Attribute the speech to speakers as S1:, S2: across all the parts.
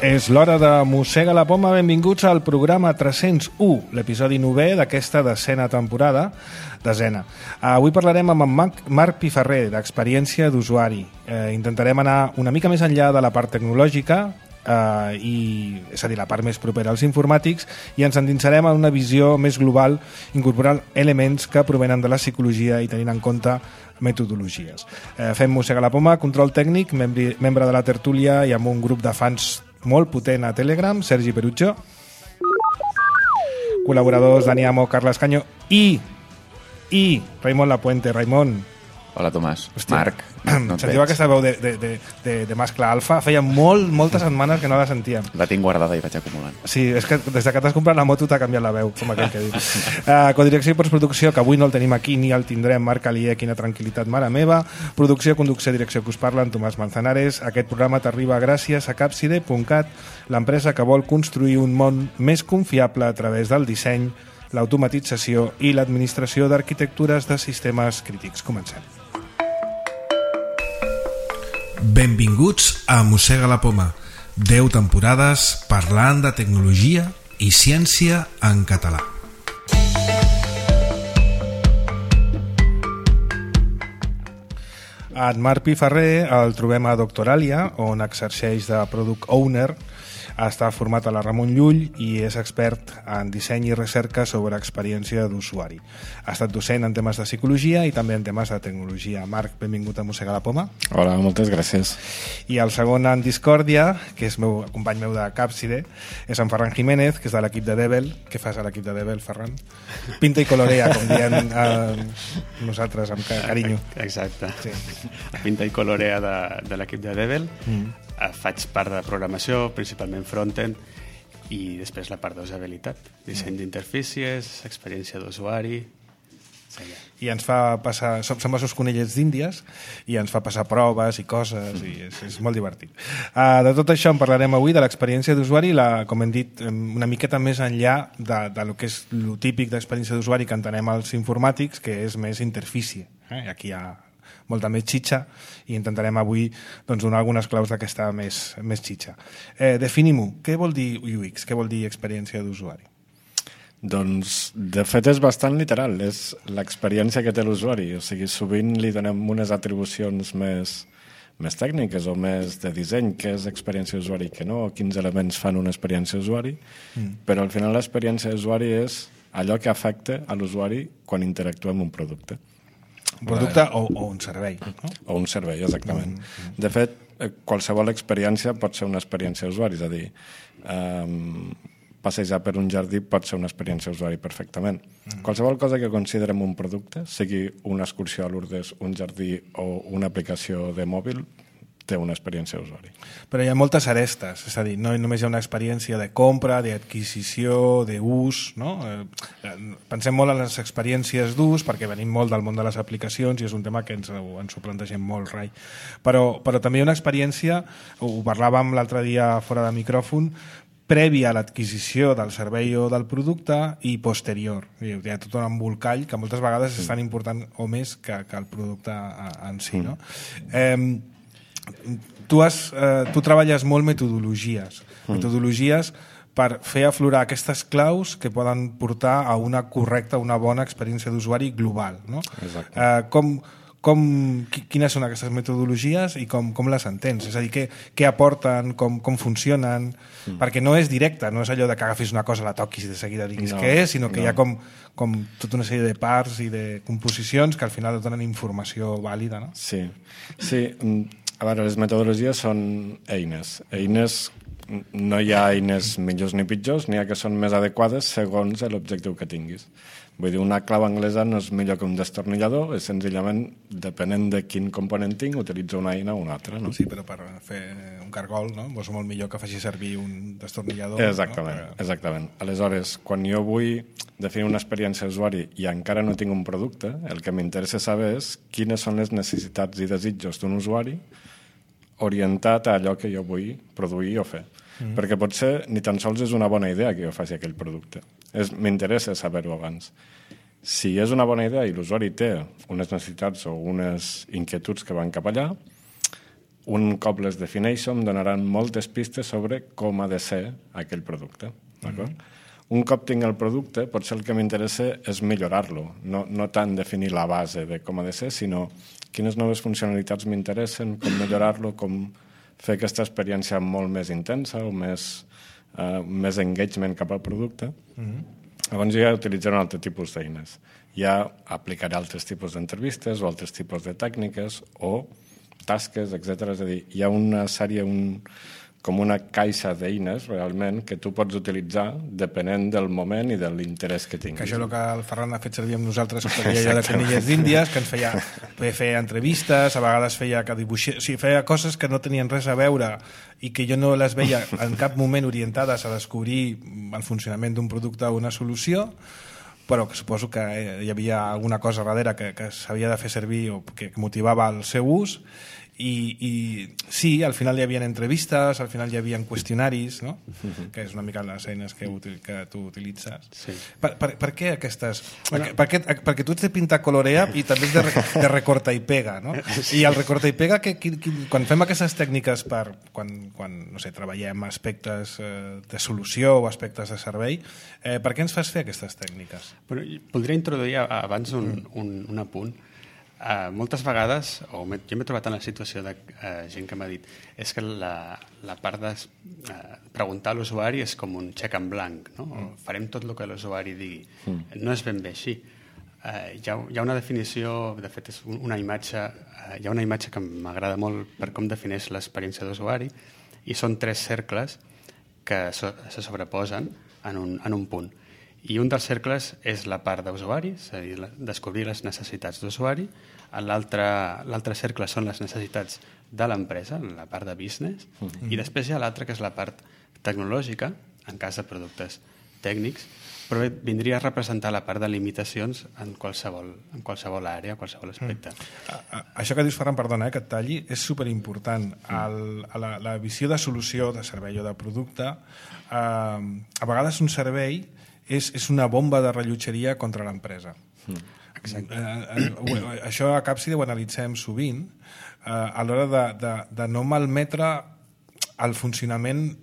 S1: És l'hora de Mossega la Poma. Benvinguts al programa 301, l'episodi 9è d'aquesta desena temporada. Avui parlarem amb en Marc Piferrer, d'Experiència d'Usuari. Intentarem anar una mica més enllà de la part tecnològica, és a dir, la part més propera als informàtics, i ens endinsarem en una visió més global, incorporant elements que provenen de la psicologia i tenint en compte metodologies. Fem Mossega la Poma, control tècnic, membre de la tertúlia i amb un grup de fans molt potent a Telegram, Sergi Perutxo, col·laboradors Dani Amo, Carles Canyo i Raimon Lapuente. Raimon.
S2: Hola, Tomàs.
S1: Hòstia,
S2: Marc. No
S1: sentiu aquesta veu de mascle alfa? Feia moltes setmanes que no la sentíem.
S2: La tinc guardada i vaig acumulant.
S1: Sí, és que des que t'has comprat la moto t'ha canviat la veu, com aquell que diu. Codirecció i postproducció, que avui no el tenim aquí ni el tindrem, Marc Alié, quina tranquil·litat, mare meva. Producció, conducció, direcció que us parla, en Tomàs Manzanares. Aquest programa t'arriba gràcies a Capside.cat, l'empresa que vol construir un món més confiable a través del disseny, l'automatització i l'administració d'arquitectures de sistemes crítics. Comencem. Benvinguts a Mossega la Poma. 10 temporades parlant de tecnologia i ciència en català. En Marc Piferrer el trobem a Doctoralia, on exerceix de Product Owner. Està format a la Ramon Llull i és expert en disseny i recerca sobre experiència d'usuari. Ha estat docent en temes de psicologia i també en temes de tecnologia. Marc, benvingut a Mossega la Poma.
S3: Hola, moltes gràcies.
S1: I el segon en discòrdia, que és company meu de Capside, és en Ferran Jiménez, que és de l'equip de Devel. Què fas a l'equip de Devel, Ferran? Pinta i colorea, com diem nosaltres, amb carinyo.
S4: Exacte.
S1: Sí.
S4: Pinta i colorea de l'equip de Devel. Faig part de programació, principalment frontend, i després la part d'usabilitat, disseny d'interfícies, experiència d'usuari.
S1: I ens fa passar, som els seus conellets d'Índies, i ens fa passar proves i coses, i és molt divertit. De tot això en parlarem avui, de l'experiència d'usuari, com hem dit, una miqueta més enllà de lo que és lo típic d'experiència d'usuari que entenem els informàtics, que és més interfície. Aquí hi ha molta més xitxa i intentarem avui donar algunes claus d'aquesta més xitxa. Definim-ho. Què vol dir UX? Què vol dir experiència d'usuari?
S3: Doncs, de fet, és bastant literal. És l'experiència que té l'usuari. O sigui, sovint li donem unes atribucions més tècniques o més de disseny, que és experiència d'usuari, que no, quins elements fan una experiència d'usuari, però al final l'experiència d'usuari és allò que afecta a l'usuari quan interactua amb un producte.
S1: Un producte o un servei. No?
S3: O un servei, exactament. De fet, qualsevol experiència pot ser una experiència d'usuari, és a dir, passejar per un jardí pot ser una experiència d'usuari perfectament. Qualsevol cosa que considerem un producte, sigui una excursió a Lourdes, un jardí o una aplicació de mòbil, té una experiència d'usuari.
S1: Però hi ha moltes arestes, és a dir, no només hi ha una experiència de compra, d'adquisició, d'ús, no? Pensem molt en les experiències d'ús perquè venim molt del món de les aplicacions i és un tema que ens ho plantegem molt, Rai. Però també hi ha una experiència, ho parlàvem l'altre dia fora de micròfon, prèvia a l'adquisició del servei o del producte i posterior. Hi ha tot un embolcall que moltes vegades és tan important o més que el producte en si, no? Tu treballes molt metodologies per fer aflorar aquestes claus que poden portar a una correcta, una bona experiència d'usuari global, no? Quines són aquestes metodologies i com les entens? És a dir, què aporten, com funcionen? Perquè no és directe, no és allò de que agafis una cosa, la toquis i de seguida diguis què és, sinó que hi ha com tota una sèrie de parts i de composicions que al final et donen informació vàlida, no?
S3: Sí. A veure, les metodologies són eines. No hi ha eines millors ni pitjors, n'hi ha que són més adequades segons l'objectiu que tinguis. Vull dir, una clau anglesa no és millor que un destornillador, és senzillament, depenent de quin component tinc, utilitzo una eina o una altra. No?
S1: Sí, però per fer un cargol, no? És molt millor que faci servir un destornillador.
S3: Exactament. Aleshores, quan jo vull definir una experiència d'usuari i encara no tinc un producte, el que m'interessa saber és quines són les necessitats i desitjos d'un usuari orientat a allò que jo vull produir o fer. Perquè potser ni tan sols és una bona idea que jo faci aquell producte. M'interessa saber-ho abans. Si és una bona idea i l'usuari té unes necessitats o unes inquietuds que van cap allà, un cop les defineixo em donaran moltes pistes sobre com ha de ser aquell producte. D'acord? Un cop tinc el producte, potser el que m'interessa és millorar-lo, no tant definir la base de com ha de ser, sinó quines noves funcionalitats m'interessen, com millorar-lo, com fer aquesta experiència molt més intensa o més engagement cap al producte. Llavors ja utilitzaré un altre tipus d'eines. Ja aplicaré altres tipus d'entrevistes o altres tipus de tècniques o tasques, etc. És a dir, hi ha una sèrie, com una caixa d'eines, realment, que tu pots utilitzar depenent del moment i de l'interès que tinguis.
S1: Que això és el que el Ferran ha fet servir amb nosaltres, que feia allò de Conilles d'Índies, que ens feia entrevistes, a vegades feia que dibuixés, o sigui, feia coses que no tenien res a veure i que jo no les veia en cap moment orientades a descobrir el funcionament d'un producte o una solució, però que suposo que hi havia alguna cosa darrere que s'havia de fer servir o que motivava el seu ús. I sí, al final hi havia entrevistes, al final hi havia qüestionaris, no? Que és una mica les eines que tu utilitzes.
S4: Sí.
S1: Per què aquestes? Perquè tu ets de pintar colorea i també ets de recorta i pega, no? I el recorta i pega, quan fem aquestes tècniques quan no sé, treballem aspectes de solució o aspectes de servei, per què ens fas fer aquestes tècniques?
S4: Bueno, voldria introduir abans un apunt. Moltes vegades, jo m'he trobat en la situació de gent que m'ha dit és que la part de preguntar a l'usuari és com un xec en blanc, no? Farem tot el que l'usuari digui. No és ben bé així. Hi ha una definició, de fet és una imatge, hi ha una imatge que m'agrada molt per com defineix l'experiència d'usuari i són 3 cercles que se sobreposen en un punt. I un dels cercles és la part d'usuari, és a dir, descobrir les necessitats d'usuari. L'altre cercle són les necessitats de l'empresa, la part de business, i després hi ha l'altre, que és la part tecnològica, en cas de productes tècnics, però vindria a representar la part de limitacions en qualsevol àrea, qualsevol aspecte.
S1: Això que dius, Ferran, perdona, que et talli, és superimportant. La visió de solució, de servei o de producte, a vegades un servei és una bomba de rellotgeria contra l'empresa. Això a Capside ho analitzem sovint a l'hora de no malmetre el funcionament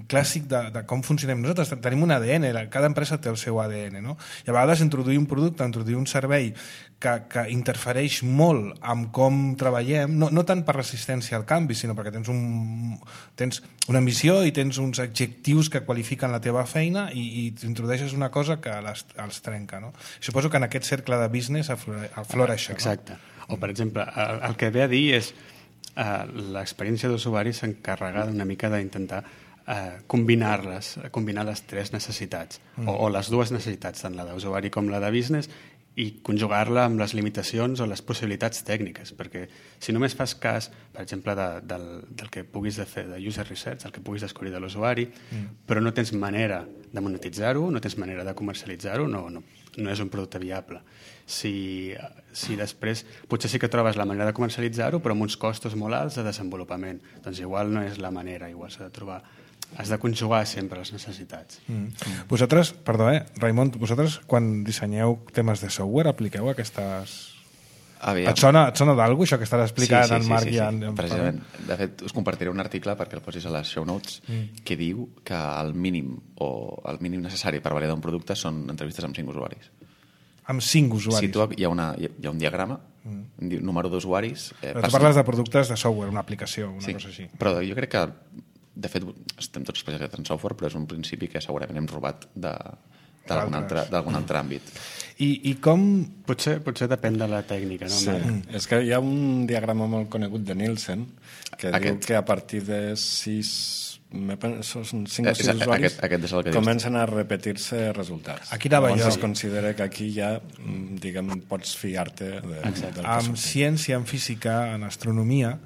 S1: clàssic de com funcionem nosaltres. Tenim un ADN, cada empresa té el seu ADN, no? I a vegades introduir un producte, introduir un servei que interfereix molt amb com treballem, no tant per resistència al canvi, sinó perquè tens una missió i tens uns adjectius que qualifiquen la teva feina i introdueixes una cosa que els trenca, no? Suposo que en aquest cercle de business aflora això.
S4: Exacte. O, per exemple, el que ve a dir és l'experiència d'usuari s'encarrega una mica d'intentar combinar les 3 necessitats o les 2 necessitats, tant la d'usuari com la de business, i conjugar-la amb les limitacions o les possibilitats tècniques, perquè si només fas cas, per exemple, del que puguis fer de user research, el que puguis descobrir de l'usuari, però no tens manera de monetitzar-ho, no tens manera de comercialitzar-ho, no és un producte viable. Si després potser sí que trobes la manera de comercialitzar-ho, però amb uns costos molt alts de desenvolupament, doncs igual no és la manera, igual s'ha de trobar. Has de conjugar sempre les necessitats.
S1: Vosaltres, perdó, Raimon, vosaltres quan dissenyeu temes de software apliqueu aquestes... Et sona d'algú això que estàs explicant en Marc i en...
S2: Precisament. De fet, us compartiré un article perquè el posis a les show notes que diu que el mínim necessari per validar un producte són entrevistes amb 5 usuaris.
S1: Amb 5 usuaris?
S2: Hi ha un diagrama, número d'usuaris...
S1: Però tu parles de productes de software, una aplicació, una cosa així.
S2: Però jo crec que de fet, estem tots especialitzats en software, però és un principi que segurament hem robat d'algun altre àmbit.
S1: I com...
S4: Potser depèn de la tècnica, no?
S3: Sí. És que hi ha un diagrama molt conegut de Nielsen que diu que a partir de 5 o 6 usuaris comencen a repetir-se resultats.
S1: Aquí anava jo.
S3: Es considera que aquí ja, diguem, pots fiar-te del que
S1: en ciència, en física, en astronomia,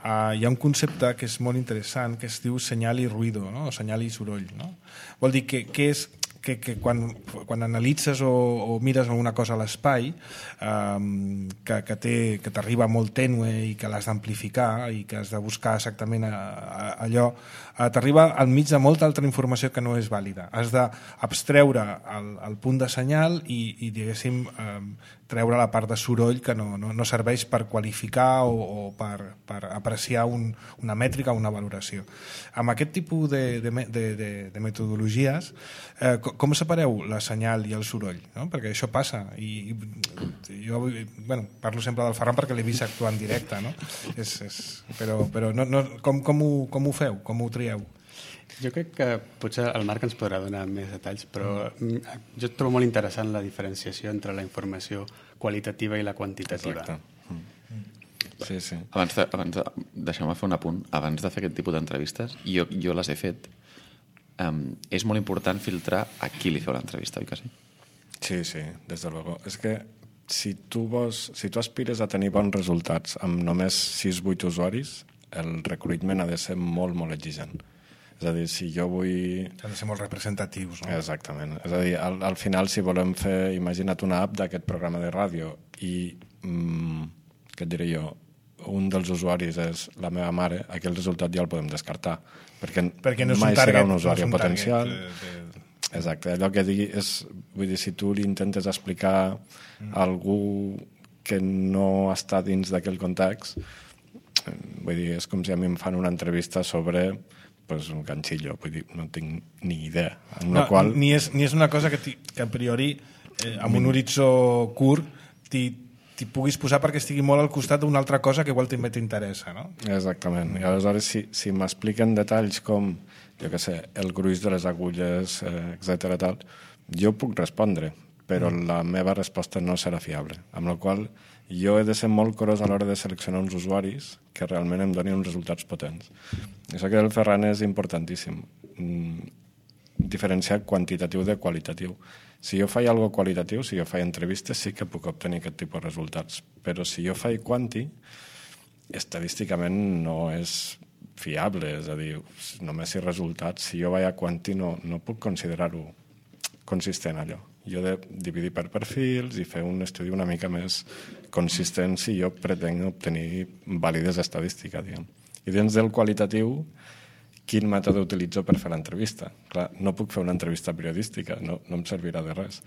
S1: hi ha un concepte que és molt interessant que es diu senyal i ruïdo, no? O senyal i soroll, no? Vol dir que quan analitzes o mires alguna cosa a l'espai que t'arriba molt tènue i que l'has d'amplificar i que has de buscar exactament allò, t'arriba al mig de molta altra informació que no és vàlida. Has d'abstreure el punt de senyal i diguéssim, treure la part de soroll que no serveix per qualificar o per apreciar una mètrica o una valoració. Amb aquest tipus de metodologies, com separeu la senyal i el soroll? No? Perquè això passa. I jo parlo sempre del Ferran perquè l'he vist actuar en directe, no? Però com ho feu? Com ho trieu?
S4: Jo crec que potser el Marc ens podrà donar més detalls, però jo trobo molt interessant la diferenciació entre la informació qualitativa i la quantitativa.
S3: Exacte. Sí.
S2: Abans deixeu-me fer un apunt. Abans de fer aquest tipus d'entrevistes, jo les he fet. És molt important filtrar a qui li feu l'entrevista, oi que sí?
S3: Sí, desde luego. És que si tu aspires a tenir bons resultats amb només 6-8 usuaris, el recruitment ha de ser molt, molt exigent. És a dir, si jo vull...
S1: Han de ser molt representatius, no?
S3: Exactament. És a dir, al final, si volem fer, imagina't una app d'aquest programa de ràdio i, què et diré jo, un dels usuaris és la meva mare, aquell resultat ja el podem descartar, perquè
S1: no
S3: mai serà un usuari potencial. Exacte. Allò que digui és... Vull dir, si tu li intentes explicar a algú que no està dins d'aquell context, vull dir, és com si a mi em fan una entrevista sobre... pues un ganxillo, vull dir, no tinc ni idea. Qual...
S1: Ni és una cosa que a priori, amb un horitzó curt, t'hi puguis posar perquè estigui molt al costat d'una altra cosa que igual també t'interessa, no?
S3: Exactament. I aleshores, si m'expliquen detalls com, jo què sé, el gruix de les agulles, etc. tal, jo puc respondre, però la meva resposta no serà fiable. Amb la qual jo he de ser molt curós a l'hora de seleccionar uns usuaris que realment em donin uns resultats potents. Això que el Ferran és importantíssim. Diferenciar quantitatiu de qualitatiu. Si jo faig alguna qualitatiu, si jo faig entrevistes, sí que puc obtenir aquest tipus de resultats. Però si jo faig quanti, estadísticament no és fiable. És a dir, només si resultats, si jo vaig a quanti no puc considerar-ho consistent allò. Jo he de dividir per perfils i fer un estudi una mica més consistent si jo pretenc obtenir vàlides estadístiques, diguem. I dins del qualitatiu, quin mètode utilitzo per fer l'entrevista? Clar, no puc fer una entrevista periodística, no em servirà de res.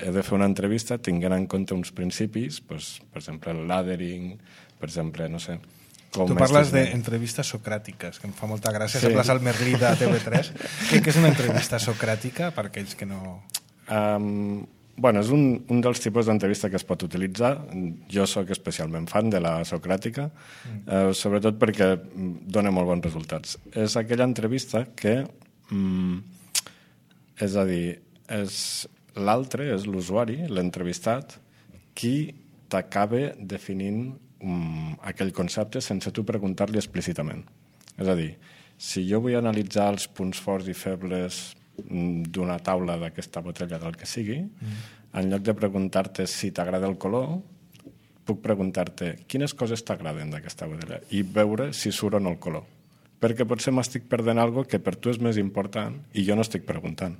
S3: He de fer una entrevista tinguent en compte uns principis, doncs, per exemple, el laddering, per exemple, no sé...
S1: Tu parles d'entrevistes socràtiques, que em fa molta gràcia. Sí. Sembles el Merlí de TV3. Què és una entrevista socràtica, per aquells que no...
S3: És un dels tipus d'entrevista que es pot utilitzar. Jo sóc especialment fan de la socràtica, sobretot perquè dona molt bons resultats. És aquella entrevista que, és a dir, l'altre és l'usuari, l'entrevistat, qui t'acaba definint aquell concepte sense tu preguntar-li explícitament. És a dir, si jo vull analitzar els punts forts i febles d'una taula d'aquesta botella del que sigui, en lloc de preguntar-te si t'agrada el color, puc preguntar-te quines coses t'agraden d'aquesta botella i veure si surt o no el color. Perquè potser m'estic perdent alguna cosa que per tu és més important i jo no estic preguntant.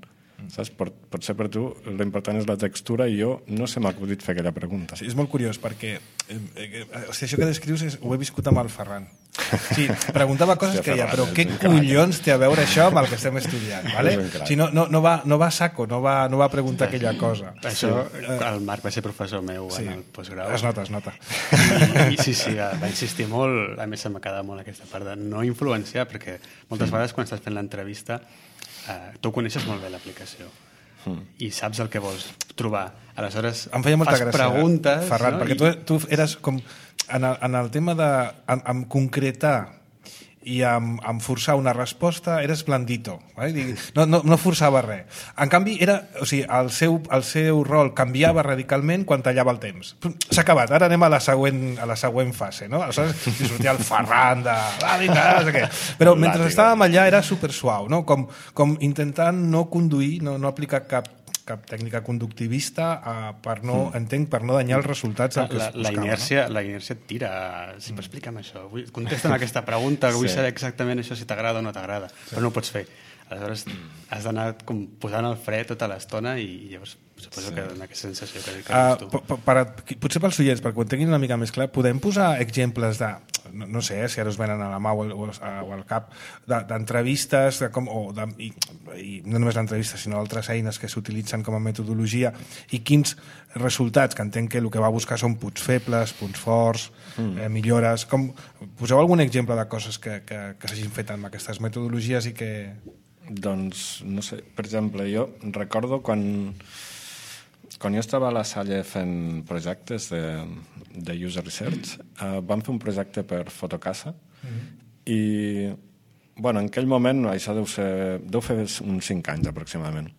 S3: Saps? Potser per tu l'important és la textura i jo no se m'ha acudit fer aquella pregunta.
S1: Sí, és molt curiós perquè això que descrius ho he viscut amb el Ferran. Sí, preguntava coses que deia, però què collons té a veure això amb el que estem estudiant? Vale? Si no va a saco, no va preguntar aquella cosa.
S4: Això, el Marc va ser professor meu en el postgrau.
S1: Es nota.
S4: I sí, va insistir molt, a més se m'ha quedat molt aquesta part de no influenciar, perquè moltes vegades quan estàs fent l'entrevista tu coneixes molt bé l'aplicació i saps el que vols trobar. Aleshores,
S1: em feia molta gràcia,
S4: preguntes...
S1: Ferran, no? Perquè tu eres com... En el tema de... En concretar i amb forçar una resposta eres blandito. Vale? No forçava res. En canvi, el seu rol canviava radicalment quan tallava el temps. S'ha acabat, ara anem a la següent fase. No? Aleshores, sortia el Ferran de... no sé què. Però mentre estàvem allà era supersuau, no? Com intentant no conduir, no aplicar cap tècnica conductivista per no danyar els resultats del que es buscava.
S4: La inèrcia et tira. Si m'explica'm això. Contesta'm aquesta pregunta, vull saber exactament això si t'agrada o no t'agrada. Però no ho pots fer. Aleshores has d'anar posant el fre tota l'estona i llavors suposo que dona aquesta sensació que dius tu.
S1: Potser pels oients, perquè ho tinguin una mica més clar, podem posar exemples de no sé si ara us venen a la mà o al cap, d'entrevistes, i no només l'entrevista, sinó altres eines que s'utilitzen com a metodologia, i quins resultats, que entenc que el que va buscar són punts febles, punts forts, millores. Poseu algun exemple de coses que s'hagin fet amb aquestes metodologies i que...
S3: Doncs, no sé, per exemple, jo recordo quan jo estava a la Salle fent projectes de user research, vam fer un projecte per Fotocasa i, bueno, en aquell moment, això deu fer uns 5 anys aproximadament,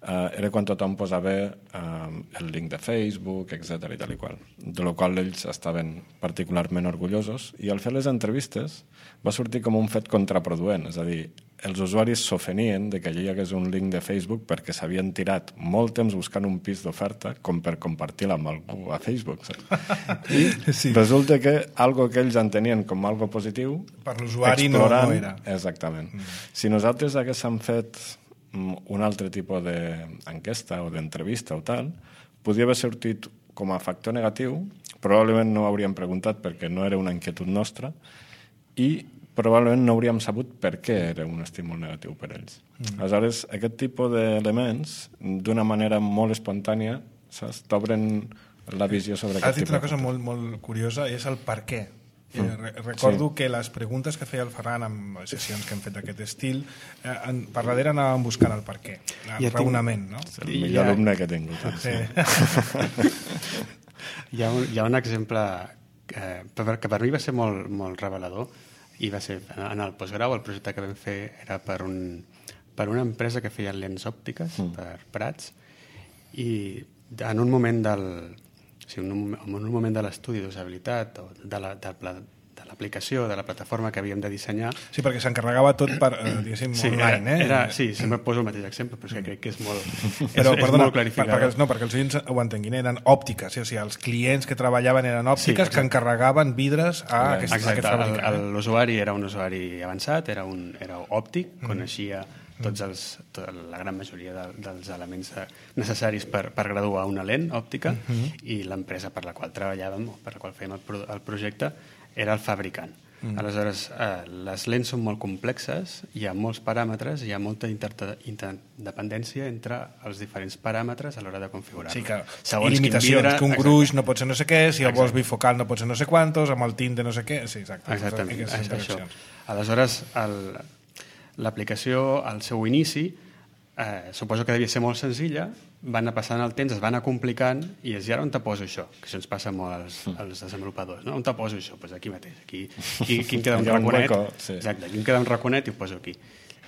S3: era quan tothom posava el link de Facebook, etc i tal i qual, de la qual ells estaven particularment orgullosos, i al fer les entrevistes va sortir com un fet contraproduent, és a dir, els usuaris s'ofenien de que allà hi hagués un link de Facebook perquè s'havien tirat molt temps buscant un pis d'oferta com per compartir-la amb algú a Facebook. I resulta que algo que ells entenien com algo positiu...
S1: Per l'usuari no era.
S3: Exactament. Si nosaltres haguéssim fet un altre tipus d'enquesta o d'entrevista o tal, podria haver sortit com a factor negatiu, probablement no ho hauríem preguntat perquè no era una inquietud nostra, i probablement no hauríem sabut per què era un estímul negatiu per ells. Aleshores, aquest tipus d'elements, d'una manera molt espontània, t'obren la visió sobre aquest tipus.
S1: Has dit una cosa molt, molt curiosa, i és el per què. Recordo que les preguntes que feia el Ferran en sessions que hem fet d'aquest estil, per darrere anàvem buscant el per què, el raonament, no?
S3: És el millor alumne que he tingut.
S4: Hi ha un exemple que per mi va ser molt revelador, i va ser en el postgrau. El projecte que vam fer era per una empresa que feia lents òptiques per Prats, i en un moment de l'estudi d'usabilitat o de l'aplicació, de la plataforma que havíem de dissenyar...
S1: Sí, perquè s'encarregava tot per, diguéssim, online,
S4: Sí, sempre poso el mateix exemple, però és que crec que és molt,
S1: però, perdona,
S4: molt clarificador.
S1: Perquè els oients ho entenguin, eren òptiques, o sigui, els clients que treballaven eren òptiques, que encarregaven vidres a aquest fabricant.
S4: L'usuari era un usuari avançat, era òptic, coneixia la gran majoria dels elements necessaris per graduar una lent òptica, i l'empresa per la qual treballàvem o per la qual fèiem el projecte era el fabricant. Aleshores, les lents són molt complexes, hi ha molts paràmetres, hi ha molta interdependència entre els diferents paràmetres a l'hora de configurar-lo.
S1: Sí, que i limitacions, que un gruix no pot ser no sé què, si el vols bifocal no pot ser no sé quantos, amb el tint de no sé què... Sí, exacte.
S4: Exactament, és això. Aleshores, l'aplicació, al seu inici, suposo que devia ser molt senzilla, van anar passant el temps, es van anar complicant, i és, i ara on te poso això? Que això ens passa molt als desenvolupadors, no? On te poso això? Doncs aquí mateix, aquí em queda un raconet. Exacte, aquí em queda un raconet i ho poso aquí.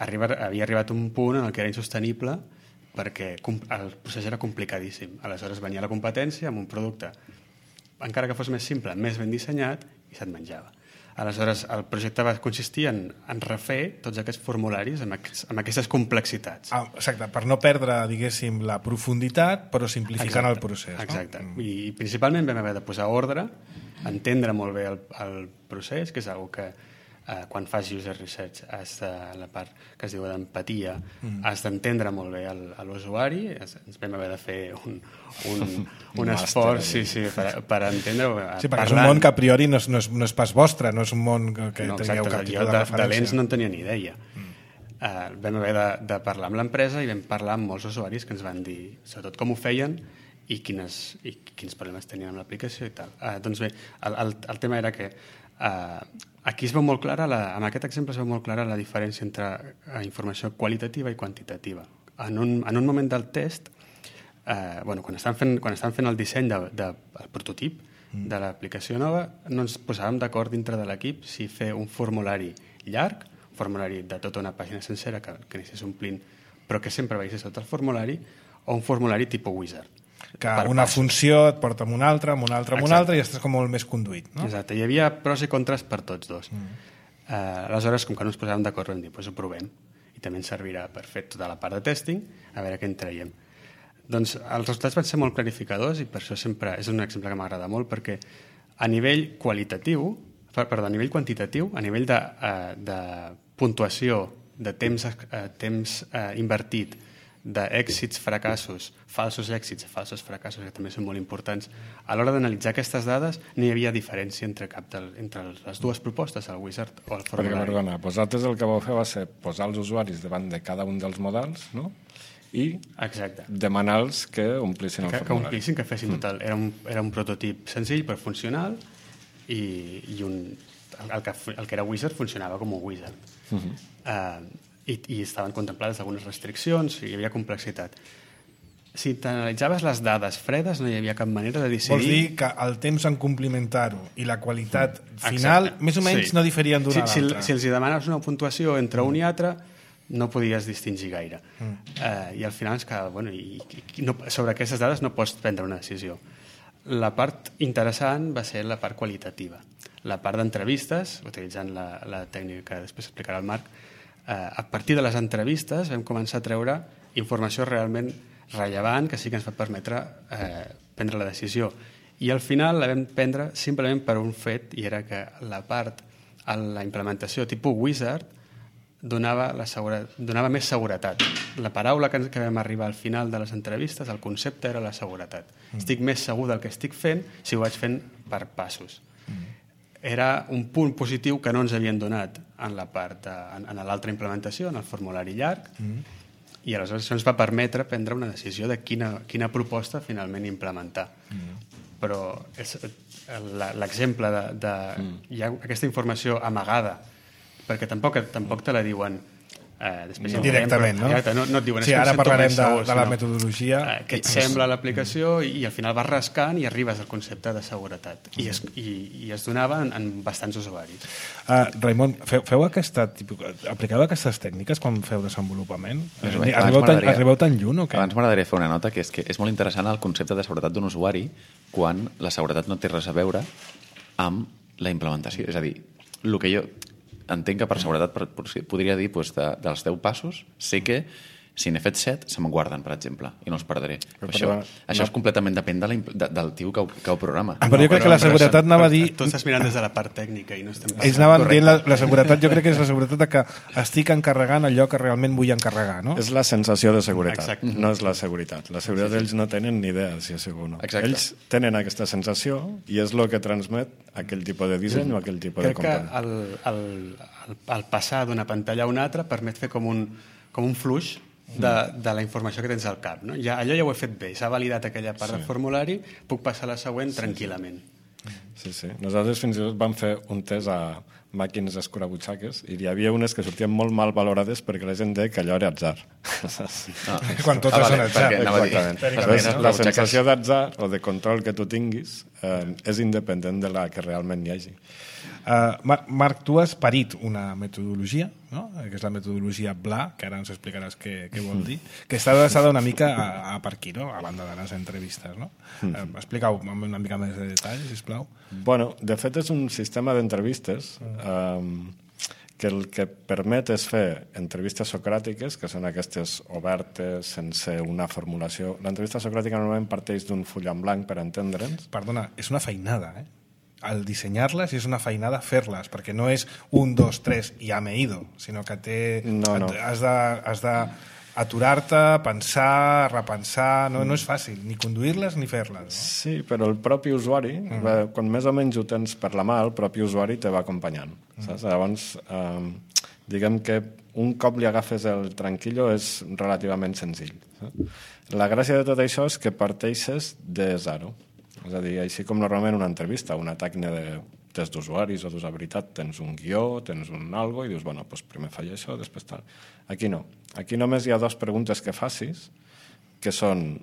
S4: Havia arribat un punt en el que era insostenible perquè el procés era complicadíssim. Aleshores venia la competència amb un producte, encara que fos més simple, més ben dissenyat, i se't menjava. Aleshores, el projecte va consistir en refer tots aquests formularis amb aquestes complexitats.
S1: Exacte, per no perdre, diguéssim, la profunditat, però simplificant el procés.
S4: Exacte. I principalment vam haver de posar ordre, entendre molt bé el procés, que és una cosa que quan fas user research, la part que es diu d'empatia, has d'entendre molt bé l'usuari. Ens vam haver de fer un esforç per entendre...
S1: Sí, perquè és un món que a priori no és pas vostre, no és un món que tingueu cap tipus de referència.
S4: De lents no en tenia ni idea. Vam haver de parlar amb l'empresa i vam parlar amb molts usuaris que ens van dir, sobretot, com ho feien i quins problemes tenien amb l'aplicació i tal. Doncs bé, el tema era que aquí es veu molt clara, amb aquest exemple es veu molt clara la diferència entre informació qualitativa i quantitativa. En un moment del test, quan estan fent el disseny del prototip de l'aplicació nova, no ens posàvem d'acord dintre de l'equip si fer un formulari llarg, un formulari de tota una pàgina sencera que anéssim omplint, però que sempre veiés sota el formulari, o un formulari tipus wizard.
S1: Que una funció et porta amb una altra, i estàs com molt més conduït, no?
S4: Exacte, hi havia pros i contres per tots dos. Aleshores, com que no ens posàvem d'acord, vam dir, doncs ho provem, i també ens servirà per fer tota la part de testing, a veure què en traiem. Doncs els resultats van ser molt clarificadors, i per això sempre és un exemple que m'agrada molt, perquè a nivell quantitatiu, a nivell de puntuació, de temps invertit, d'èxits, fracassos, falsos èxits, falsos fracassos, que també són molt importants. A l'hora d'analitzar aquestes dades no hi havia diferència entre les dues propostes, el Wizard o el formulari.
S3: Perquè, perdona, vosaltres el que vau fer va ser posar els usuaris davant de cada un dels models, no? I demanar-los que omplissin el formulari.
S4: Que omplissin, que fessin tot. Era un prototip senzill però funcional i el que era Wizard funcionava com un Wizard. I estaven contemplades algunes restriccions, hi havia complexitat. Si t'analitzaves les dades fredes no hi havia cap manera de decidir...
S1: Vols dir que el temps en complimentar-ho i la qualitat final més o menys no diferien d'una a l'altra.
S4: Si els demanes una puntuació entre un i altre no podies distingir gaire. I al final és que sobre aquestes dades no pots prendre una decisió. La part interessant va ser la part qualitativa. La part d'entrevistes, utilitzant la tècnica que després explicarà el Marc, a partir de les entrevistes vam començar a treure informació realment rellevant que sí que ens va permetre prendre la decisió. I al final la vam prendre simplement per un fet, i era que la implementació tipus Wizard donava més seguretat. La paraula que vam arribar al final de les entrevistes, el concepte era la seguretat. Estic més segur del que estic fent si ho vaig fent per passos. Era un punt positiu que no ens havien donat en l'altra implementació, en el formulari llarg, i aleshores això ens va permetre prendre una decisió de quina proposta finalment implementar. Però l'exemple hi ha aquesta informació amagada, perquè tampoc te la diuen
S1: directament, no?
S4: No et diuen,
S1: sí, ara parlarem de la metodologia.
S4: Què et sembla l'aplicació i al final vas rascant i arribes al concepte de seguretat. I es donava en bastants usuaris.
S1: Raimon, apliceu aquestes tècniques quan feu desenvolupament? Arribeu tan lluny o què?
S2: Abans m'agradaria fer una nota, que és que és molt interessant el concepte de seguretat d'un usuari quan la seguretat no té res a veure amb la implementació. És a dir, el que jo entenc que per seguretat podria dir dels 10 passos sé que si n'he fet 7 se me'n guarden, per exemple, i no els perdré. Això és completament depèn del tio que ho programa.
S1: Però jo crec que la seguretat anava a dir...
S4: Tu estàs mirant des de la part tècnica i no estem...
S1: Ells anaven dient la seguretat, jo crec que és la seguretat que estic encarregant allò que realment vull encarregar, no?
S3: És la sensació de seguretat, no és la seguretat. La seguretat ells no tenen ni idea si és segur o no. Ells tenen aquesta sensació i és el que transmet aquell tipus de disseny o aquell tipus de component.
S4: Crec que el passar d'una pantalla a una altra permet fer com un fluix de la informació que tens al cap. No? Allò ja ho he fet bé, s'ha validat aquella part del formulari, puc passar a la següent tranquil·lament.
S3: Sí. Nosaltres fins i tot vam fer un test a màquines escurabutxaques i hi havia unes que sortien molt mal valorades perquè la gent deia que allò era atzar.
S1: Quan totes són atzar.
S3: Exactament. La sensació d'atzar o de control que tu tinguis és independent de la que realment hi hagi.
S1: Marc, tu has parit una metodologia, no? Que és la metodologia BLA, que ara ens explicaràs què vol dir, que està adreçada una mica a per aquí, no? A banda de les entrevistes, no? Explica-ho amb una mica més de detall, sisplau.
S3: Bueno, de fet és un sistema d'entrevistes que el que permet és fer entrevistes socràtiques, que són aquestes obertes, sense una formulació. L'entrevista socràtica normalment parteix d'un full en blanc per entendre'ns.
S1: Perdona, és una feinada, al dissenyar-les és una feinada fer-les, perquè no és 1, 2, 3 i ja m'he ido, sinó que has d'aturar-te, pensar, repensar, no és fàcil, ni conduir-les ni fer-les. No?
S3: Sí, però el propi usuari, quan més o menys ho tens per la mà, el propi usuari te va acompanyant. Saps? Llavors, diguem que un cop li agafes el tranquillo és relativament senzill. La gràcia de tot això és que parteixes de zero. És a dir, així com normalment una entrevista, una tècnica de test d'usuaris o d'usabilitat, tens un guió, tens un algo i dius, bueno, doncs primer faig això, després tal. Aquí no. Aquí només hi ha 2 preguntes que facis, que són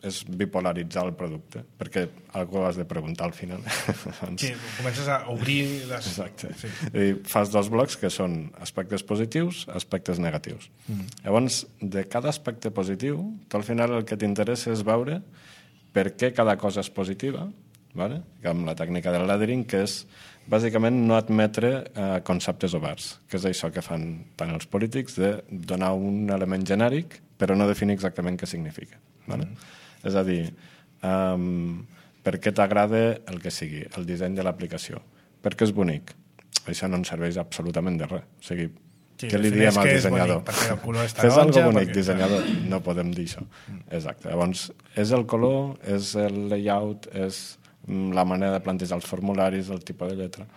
S3: és bipolaritzar el producte, perquè algú has de preguntar al final.
S1: Sí, comences a obrir les...
S3: Exacte. Sí. I fas 2 blocs que són aspectes positius, aspectes negatius. Llavors, de cada aspecte positiu, tu al final el que t'interessa és veure per què cada cosa és positiva, vale? Amb la tècnica del laddering, que és bàsicament no admetre conceptes oberts, que és això que fan tant els polítics, de donar un element genèric però no definir exactament què significa. Vale? És a dir, per què t'agrada el que sigui, el disseny de l'aplicació? Perquè és bonic. Això no ens serveix absolutament de res. O sigui,
S1: Sí,
S3: què li diem al dissenyador?
S1: Bonic, perquè el color és
S3: Fes
S1: taronja...
S3: algo bonic, dissenyador. No podem dir això. Exacte. Llavors, és el color, és el layout, és la manera de plantejar els formularis, el tipus de lletra.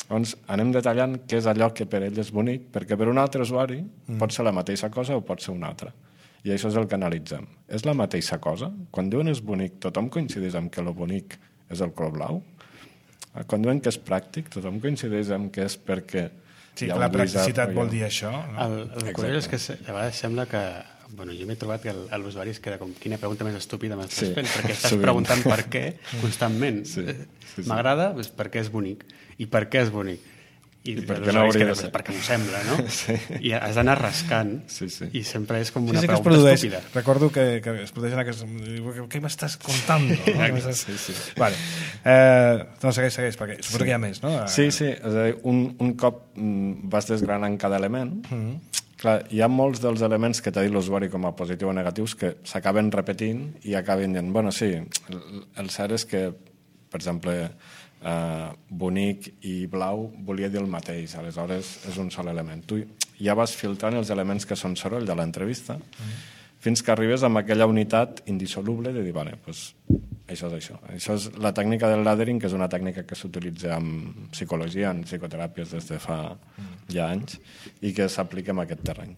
S3: Llavors, anem detallant què és allò que per ell és bonic, perquè per un altre usuari pot ser la mateixa cosa o pot ser una altra. I això és el que analitzem. És la mateixa cosa? Quan diuen és bonic, tothom coincideix en que el bonic és el color blau? Quan diuen que és pràctic, tothom coincideix en que és perquè...
S1: Sí, que la practicitat vol dir això. No?
S4: El curiós és que a vegades sembla que... Bueno, jo m'he trobat que l'usuari es queda com quina pregunta més estúpida m'estàs fent, perquè estàs preguntant per què constantment. M'agrada perquè és bonic. I per què és bonic? I
S3: per què no hauria de ser?
S4: Perquè m'ho sembla, no? I has d'anar rascant i sempre és com una pregunta estúpida.
S1: Recordo que es produeixen aquests... Què m'estàs contant? Vale. No, segueix, perquè suposo que hi ha més, no?
S3: Sí. És a dir, un cop vas desgranant cada element, clar, hi ha molts dels elements que t'ha dit l'usuari com a positiu o negatius que s'acaben repetint i acaben dient, bueno, sí, el cert és que, per exemple, bonic i blau volia dir el mateix, aleshores és un sol element. Tu ja vas filtrant els elements que són soroll de l'entrevista fins que arribes amb aquella unitat indissoluble de dir, vale, pues, això és això. Això és la tècnica del laddering, que és una tècnica que s'utilitza en psicologia, en psicoteràpies des de fa ja anys i que s'aplica en aquest terreny.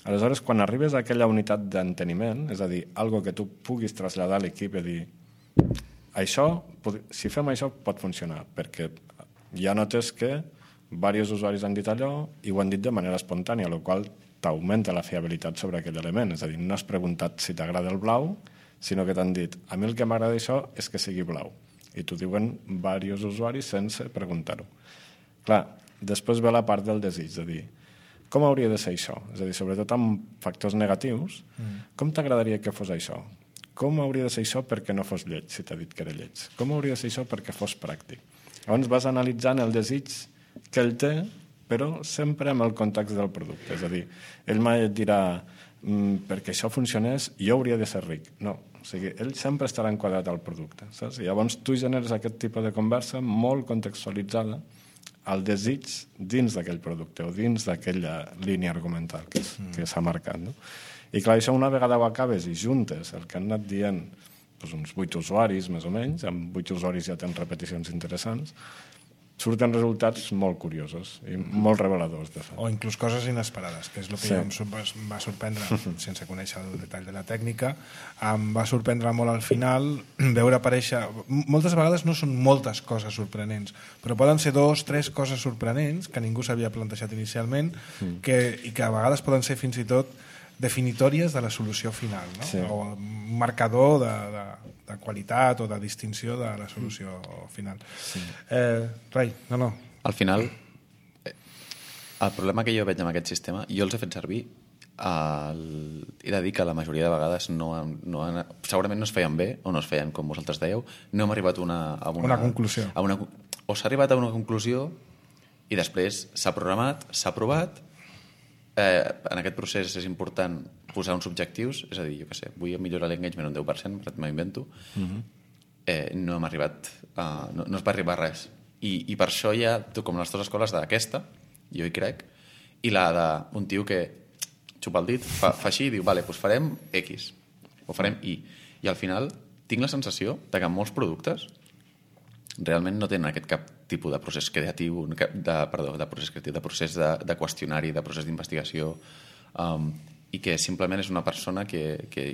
S3: Aleshores, quan arribes a aquella unitat d'enteniment, és a dir, algo que tu puguis traslladar a l'equip i dir això, si fem això pot funcionar, perquè ja notes que diversos usuaris han dit allò i ho han dit de manera espontània, el qual t'augmenta la fiabilitat sobre aquell element. És a dir, no has preguntat si t'agrada el blau, sinó que t'han dit, a mi el que m'agrada això és que sigui blau. I t'ho diuen diversos usuaris sense preguntar-ho. Clar, després ve la part del desig, de dir, com hauria de ser això? És a dir, sobretot amb factors negatius, com t'agradaria que fos això? Com hauria de ser això perquè no fos lleig, si t'ha dit que era lleig? Com hauria de ser això perquè fos pràctic? Llavors vas analitzant el desig que ell té, però sempre amb el context del producte. És a dir, ell mai et dirà perquè això funcionés, jo hauria de ser ric. No, o sigui, ell sempre estarà enquadrat al producte. Saps? I llavors tu generes aquest tipus de conversa molt contextualitzada al desig dins d'aquell producte o dins d'aquella línia argumental que s'ha marcat, no? I clar, això una vegada ho acabes i juntes el que han anat dient doncs uns 8 usuaris, més o menys, amb 8 usuaris ja tens repeticions interessants, surten resultats molt curiosos i molt reveladors, de fet.
S1: O inclús coses inesperades, que és el que em va sorprendre, sense conèixer el detall de la tècnica, em va sorprendre molt al final veure aparèixer... Moltes vegades no són moltes coses sorprenents, però poden ser 2, 3 coses sorprenents que ningú s'havia plantejat inicialment i que a vegades poden ser fins i tot definitòries de la solució final, no?
S3: Sí.
S1: O un marcador de qualitat o de distinció de la solució final. Sí. Rai, no.
S2: Al final, el problema que jo veig amb aquest sistema, jo els he fet servir, he de dir que la majoria de vegades segurament no es feien bé o no es feien com vosaltres dèieu, no hem arribat a una
S1: conclusió.
S2: O s'ha arribat a una conclusió i després s'ha programat, s'ha aprovat. En aquest procés és important posar uns objectius, és a dir, jo què sé, vull millorar l'engagement un 10%, m'invento, no hem arribat no es va arribar a res. I per això hi ha, com les dues escoles d'aquesta, jo hi crec, i la d'un tio que xupa el dit, fa així i diu, vale, doncs farem X, o farem Y. I al final tinc la sensació de que en molts productes realment no tenen aquest cap tipus de procés creatiu, de procés de qüestionari, de procés d'investigació, i que simplement és una persona que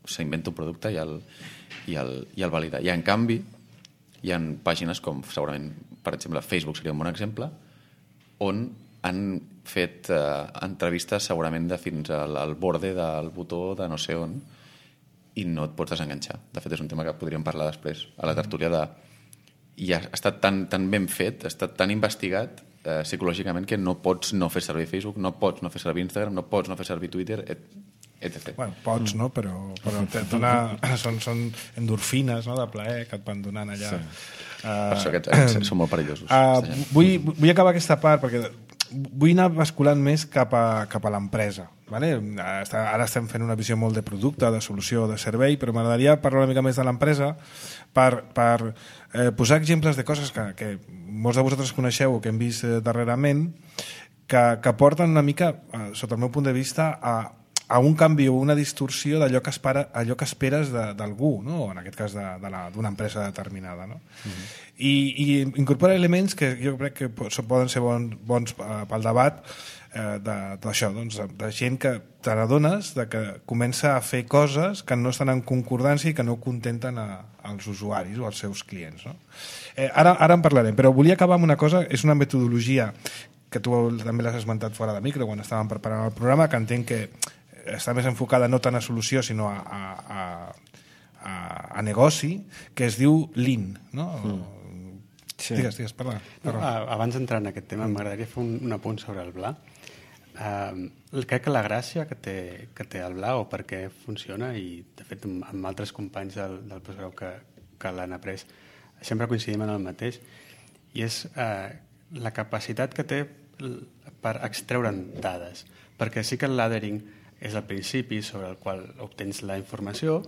S2: s'inventa un producte i el valida. I en canvi hi ha pàgines com segurament, per exemple, Facebook seria un bon exemple, on han fet entrevistes segurament de fins al borde del botó de no sé on, i no et pots desenganxar. De fet, és un tema que podríem parlar després a la tertúlia i ha estat tan ben fet, ha estat tan investigat psicològicament que no pots no fer servir Facebook, no pots no fer servir Instagram, no pots no fer servir Twitter, etc.
S1: Bueno, pots, no? Però són endorfines, no?, de plaer que et van donant allà.
S2: Sí. Per això aquests són molt perillosos.
S1: Vull acabar aquesta part perquè vull anar basculant més cap a l'empresa. Vale? Ara estem fent una visió molt de producte, de solució, de servei, però m'agradaria parlar una mica més de l'empresa per posar exemples de coses que molts de vosaltres coneixeu o que hem vist darrerament, que porten una mica, sota el meu punt de vista, a un canvi o una distorsió d'allò que esperes d'algú, no? En aquest cas d'una empresa determinada. No? I incorpora elements que jo crec que poden ser bons pel debat d'això, doncs, de gent que te n'adones que comença a fer coses que no estan en concordança i que no contenten als usuaris o als seus clients. No? Ara en parlarem, però volia acabar amb una cosa, és una metodologia que tu també l'has esmentat fora de micro quan estàvem preparant el programa, que entenc que està més enfocada no tant a solució sinó a negoci, que es diu Lean, no? Sí. Digues, parla.
S4: Abans d'entrar en aquest tema, m'agradaria fer un apunt sobre el BLA. Crec que la gràcia que té el BLA o per què funciona, i de fet amb altres companys del postgrau que l'han après sempre coincidim en el mateix, i és la capacitat que té per extreure'n dades, perquè sí que el laddering és el principi sobre el qual obtens la informació,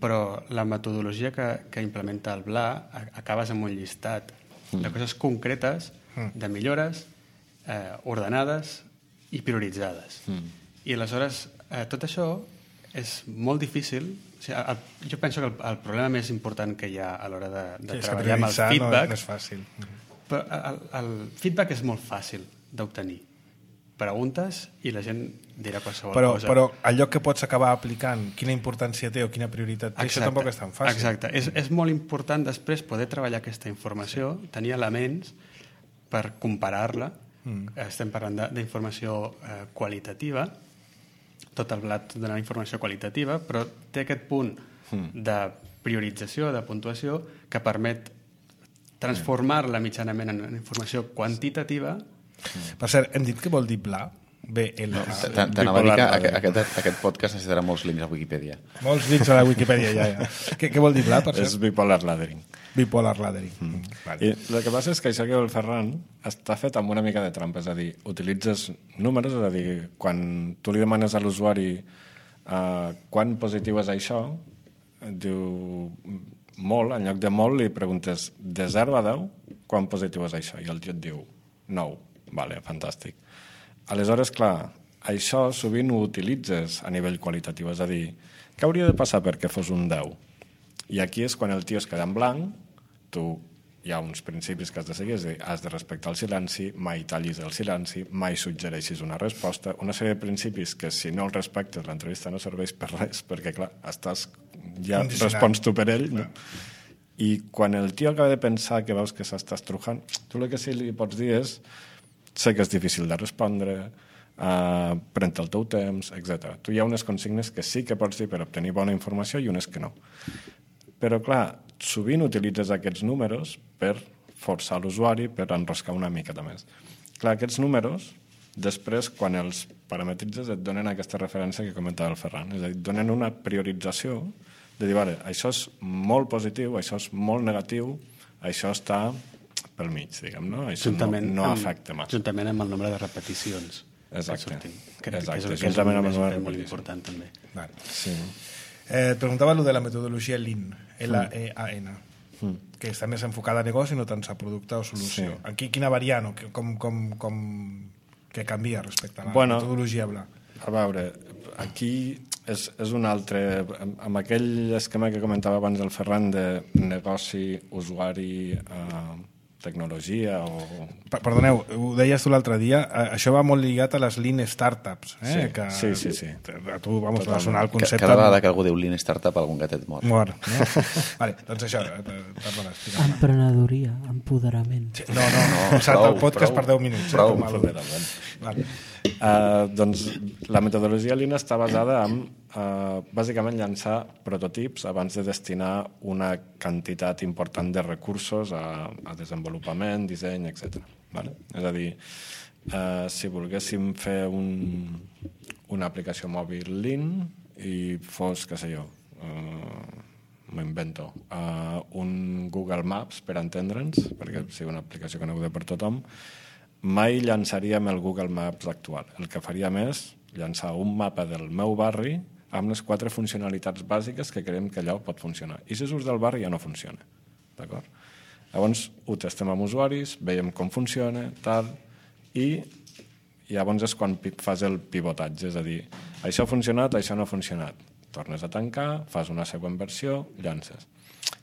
S4: però la metodologia que implementa el BLA acabes amb un llistat de coses concretes, de millores ordenades i prioritzades. I aleshores tot això és molt difícil. O sigui, jo penso que el problema més important que hi ha a l'hora de treballar amb el feedback...
S1: No és fàcil.
S4: Però el feedback és molt fàcil d'obtenir. Preguntes i la gent dirà qualsevol cosa.
S1: Però allò que pots acabar aplicant, quina importància té o quina prioritat té, això tampoc és tan fàcil.
S4: Exacte. És molt important després poder treballar aquesta informació, tenir elements per comparar-la. Estem parlant d'informació qualitativa, tot el blat dona informació qualitativa, però té aquest punt de priorització, de puntuació, que permet transformar-la mitjanament en informació quantitativa.
S1: Per cert, hem dit que vol dir BLA? B-L-A.
S2: T'anava a dir que aquest podcast necessitarà molts links a Wikipedia.
S1: Molts links a la Wikipedia, ja. Què vol dir BLA, per cert?
S3: És bipolar laddering.
S1: Bipolar laddering.
S3: I el que passa és que això que el Ferran està fet amb una mica de trampa, és a dir, utilitzes números, és a dir, quan tu li demanes a l'usuari quan positiu és això, diu molt, en lloc de molt li preguntes de 0 a 10, quan positiu és això? I el tio et diu 9. Vale, fantàstic. Aleshores, clar, això sovint ho utilitzes a nivell qualitatiu, és a dir, què hauria de passar perquè fos un 10? I aquí és quan el tio es queda en blanc, hi ha uns principis que has de seguir, és a dir, has de respectar el silenci, mai tallis el silenci, mai suggereixis una resposta, una sèrie de principis que si no els respectes l'entrevista no serveix per res, perquè clar, ja respons tu per ell, no? I quan el tio acaba de pensar que veus que s'està estrujant, tu el que sí li pots dir és sé que és difícil de respondre, pren-te el teu temps, etc. Tu hi ha unes consignes que sí que pots dir per obtenir bona informació i unes que no. Però, clar, sovint utilitzes aquests números per forçar l'usuari, per enroscar una miqueta més. Clar, aquests números, després, quan els parametritzes, et donen aquesta referència que comentava el Ferran. És a dir, donen una priorització de dir, vale, això és molt positiu, això és molt negatiu, això està pel mig, diguem, no? Això no afecta massa.
S4: Juntament amb el nombre de repeticions.
S3: Exacte.
S4: Que és molt important, també.
S1: Vale. Sí. Et preguntava allò de la metodologia Lean, L-E-A-N, que està més enfocada a negoci, no tant a producte o solució. Sí. Aquí quina variant o què canvia respecte a la metodologia BLA?
S3: A veure, aquí és un altre... Amb aquell esquema que comentava abans el Ferran de negoci, usuari, tecnologia o...
S1: Perdoneu, ho deies tu l'altre dia, això va molt lligat a les Lean Startups.
S3: Sí.
S1: A tu, vamos, va sonar el concepte...
S2: Cada vegada que algú diu Lean Startup, algun gatet mort.
S1: Mort, no? Vale, doncs això...
S5: Emprenedoria, empoderament.
S1: Sí, no, salta el podcast per 10 minuts.
S2: Prou.
S1: Vale.
S3: Doncs la metodologia Lean està basada en bàsicament llançar prototips abans de destinar una quantitat important de recursos a desenvolupament, disseny, etc. Vale? És a dir, si volguéssim fer una aplicació mòbil Lean i fos, què sé jo, m'ho invento, un Google Maps, per entendre'ns, perquè sigui una aplicació coneguda per tothom, mai llançaríem el Google Maps actual. El que faríem és llançar un mapa del meu barri amb les 4 funcionalitats bàsiques que creiem que allò pot funcionar. I si surts del barri ja no funciona. D'acord? Llavors ho testem amb usuaris, veiem com funciona, tal, i i llavors és quan fas el pivotatge, és a dir, això ha funcionat, això no ha funcionat. Tornes a tancar, fas una següent versió, llances.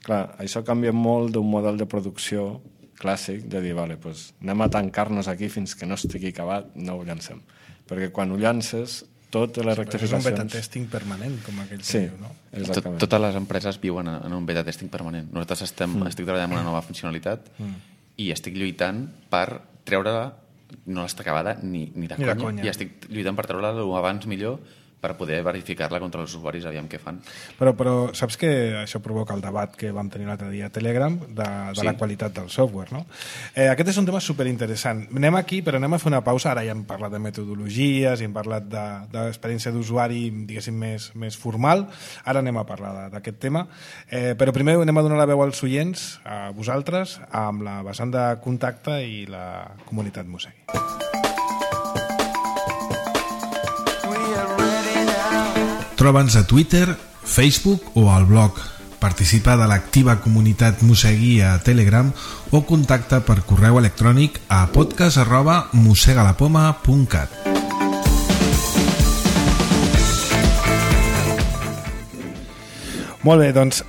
S3: Clar, això canvia molt d'un model de producció clàssic, de dir, vale, pues, anem a tancar-nos aquí fins que no estigui acabat, no ho llancem. Perquè quan ho llances, totes les rectificacions...
S1: És un beta testing permanent, com aquell que diu, no?
S3: Exactament.
S2: Totes les empreses viuen en un beta testing permanent. Nosaltres estic treballant en una nova funcionalitat i estic lluitant per treure-la, no l'està acabada ni de conya, i estic lluitant per treure-la abans millor per poder verificar-la contra els usuaris, aviam què fan.
S1: Però saps que això provoca el debat que vam tenir l'altre dia a Telegram de la qualitat del software, no? Aquest és un tema superinteressant. Anem aquí, però anem a fer una pausa. Ara ja hem parlat de metodologies i hem parlat d'experiència d'usuari, diguéssim, més formal. Ara anem a parlar d'aquest tema. Però primer anem a donar la veu als oients, a vosaltres, amb la vessant de contacte i la comunitat Mosegui.
S5: Troba'ns a Twitter, Facebook o al blog. Participa de l'activa comunitat Mosegui a Telegram o contacta per correu electrònic a podcast@mosegalapoma.cat.
S1: Molt bé, doncs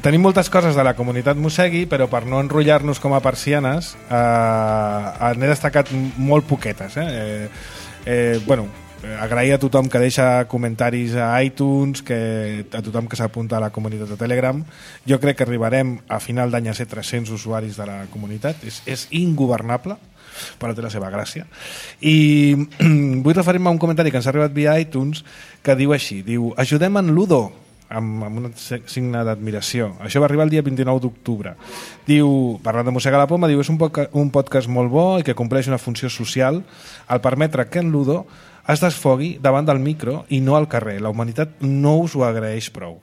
S1: tenim moltes coses de la comunitat Mosegui, però per no enrotllar-nos com a persianes n'he destacat molt poquetes. Agrair a tothom que deixa comentaris a iTunes, a tothom que s'apunta a la comunitat de Telegram. Jo crec que arribarem a final d'any a ser 300 usuaris de la comunitat. És ingovernable, però té la seva gràcia. I vull referir-me a un comentari que ens ha arribat via iTunes que diu així, ajudem en Ludo, amb un signe d'admiració. Això va arribar el dia 29 d'octubre. Diu, parlant de Mossega la Poma, és un podcast molt bo i que compleix una funció social al permetre que en Ludo es desfogui davant del micro i no al carrer. La humanitat no us ho agraeix prou.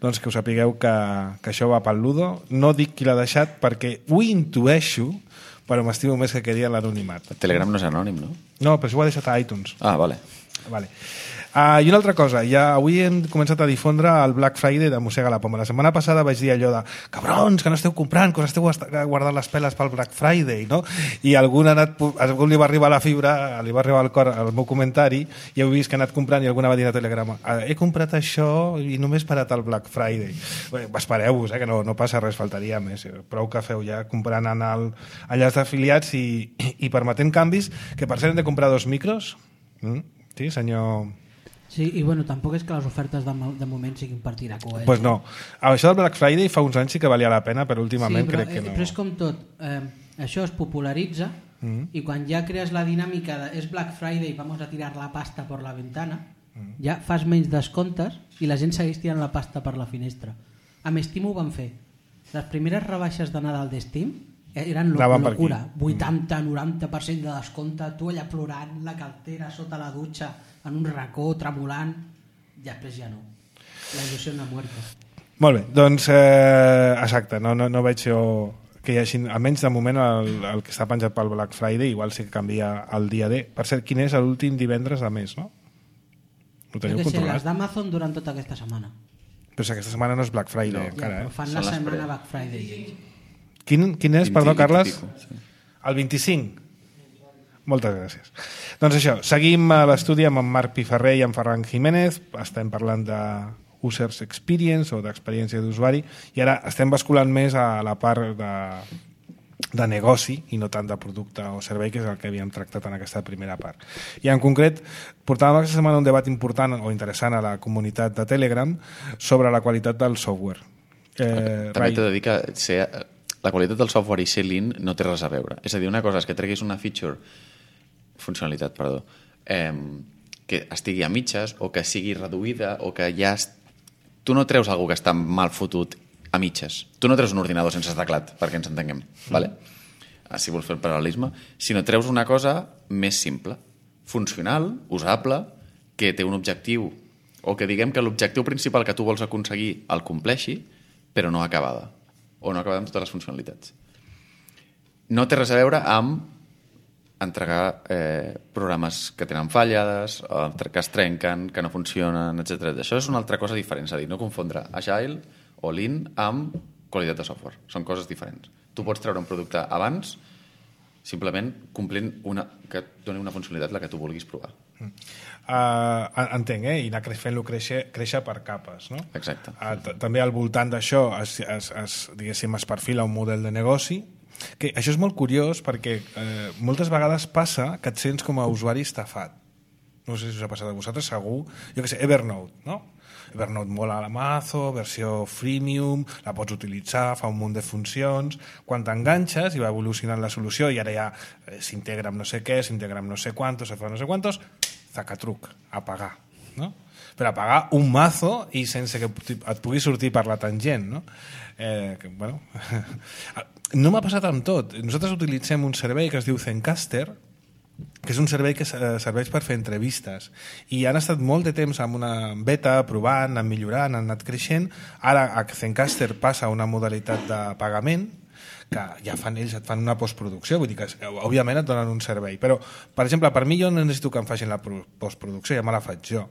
S1: Doncs que us sapigueu que això va pel Ludo. No dic qui l'ha deixat perquè ho intueixo, però m'estimo més que quedi en l'anonimat.
S2: Telegram no és anònim, no?
S1: No, però això ho ha deixat a iTunes.
S2: Ah, vale.
S1: I una altra cosa, avui hem començat a difondre el Black Friday de Mossega la Poma. La setmana passada vaig dir allò de cabrons, que no esteu comprant, que us esteu guardant les peles pel Black Friday, no? I algú li va arribar la fibra, li va arribar al cor el meu comentari i heu vist que ha anat comprant i alguna va dir a Telegram he comprat això i només parat el Black Friday. Bé, espereu-vos, que no passa res, faltaria més. Prou que feu ja comprant en enllaç d'afiliats i permetent canvis, que per cert hem de comprar 2 micros. Sí, senyor...
S6: Sí, i tampoc és que les ofertes de moment siguin per tirar coets.
S1: Pues no. Això del Black Friday fa uns anys sí que valia la pena, però últimament crec que no.
S6: Però és com tot. Això es popularitza i quan ja crees la dinàmica de és Black Friday, vamos a tirar la pasta per la ventana, ja fas menys descomptes i la gent segueix tirant la pasta per la finestra. Amb Steam ho van fer. Les primeres rebaixes de Nadal d'Steam eren locura. 80-90% de descompte, tu allà plorant, la cartera sota la dutxa, en un racó, tremolant, i després ja no. La il·lusió no ha muerto.
S1: Molt bé, doncs exacte, no veig jo que hi hagi, almenys de moment el que està penjat pel Black Friday igual sí que canvia el dia D. Per cert, quin és l'últim divendres de mes, no? Ho teniu controlat?
S6: Les d'Amazon durant tota aquesta setmana.
S1: Però aquesta setmana no és Black Friday encara,
S6: però fan la setmana Black Friday.
S1: Quin és, perdó, Carles? El 25? Moltes gràcies. Doncs això, seguim a l'estudi amb en Marc Piferrer i en Ferran Jiménez, estem parlant de Users Experience o d'experiència d'usuari i ara estem basculant més a la part de negoci i no tant de producte o servei, que és el que havíem tractat en aquesta primera part. I en concret, portàvem aquesta setmana un debat important o interessant a la comunitat de Telegram sobre la qualitat del software.
S2: També t'he de dir que la qualitat del software i ser lean no té res a veure. És a dir, una cosa és que treguis una funcionalitat, que estigui a mitges o que sigui reduïda o que ja... Tu no treus algú que està mal fotut a mitges. Tu no treus un ordinador sense teclat, perquè ens entenguem. Vale? Si vols fer el paral·lelisme. Sinó treus una cosa més simple, funcional, usable, que té un objectiu, o que diguem que l'objectiu principal que tu vols aconseguir el compleixi, però no acabada. O no acabada amb totes les funcionalitats. No té res a veure amb entregar programes que tenen fallades, que es trenquen, que no funcionen, etc. Això és una altra cosa diferent, és a dir, no confondre Agile o Lean amb qualitat de software. Són coses diferents. Tu pots treure un producte abans simplement complint que et doni una funcionalitat la que tu vulguis provar.
S1: Entenc, i anar fent-lo créixer per capes, no?
S2: Exacte.
S1: També al voltant d'això diguéssim, es perfila un model de negoci, que això és molt curiós perquè moltes vegades passa que et sents com a usuari estafat. No sé si us ha passat a vosaltres, segur. Jo què sé, Evernote, no? Evernote mola la mazo, versió freemium, la pots utilitzar, fa un munt de funcions. Quan t'enganxes i va evolucionant la solució i ara ja s'integra amb no sé què, s'integra amb no sé quantos, se fa no sé quantos, zacatruc, a pagar, no? Per a pagar un mazo i sense que et pugui sortir per la tangent, no? Bueno, no m'ha passat amb tot. Nosaltres utilitzem un servei que es diu Zencastr, que és un servei que serveix per fer entrevistes, i han estat molt de temps amb una beta, provant, anant millorant, han anat creixent. Ara a Zencastr passa a una modalitat de pagament, que ja fan ells, et fan una postproducció, vull dir que òbviament et donen un servei, però per exemple, per mi jo no necessito que em facin la postproducció, ja me la faig jo.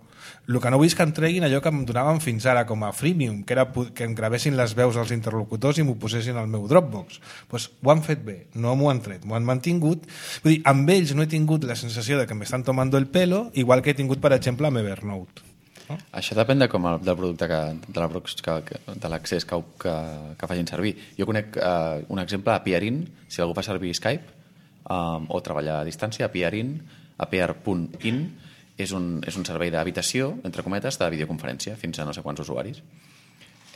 S1: El que no vull és que em treguin allò que em donaven fins ara com a freemium, que era que em gravessin les veus dels interlocutors i m'ho posessin al meu Dropbox. Pues ho han fet bé, no m'ho han tret, m'ho han mantingut. Vull dir, amb ells no he tingut la sensació de que m'estan tomando el pelo, igual que he tingut, per exemple, amb Evernote. No?
S2: Això depèn del producte de l'accés que facin servir. Jo conec un exemple a Peerin, si algú fa servir Skype o treballar a distància, a Peerin, a peer.in, és un servei d'habitació, entre cometes, de videoconferència, fins a no sé quants usuaris.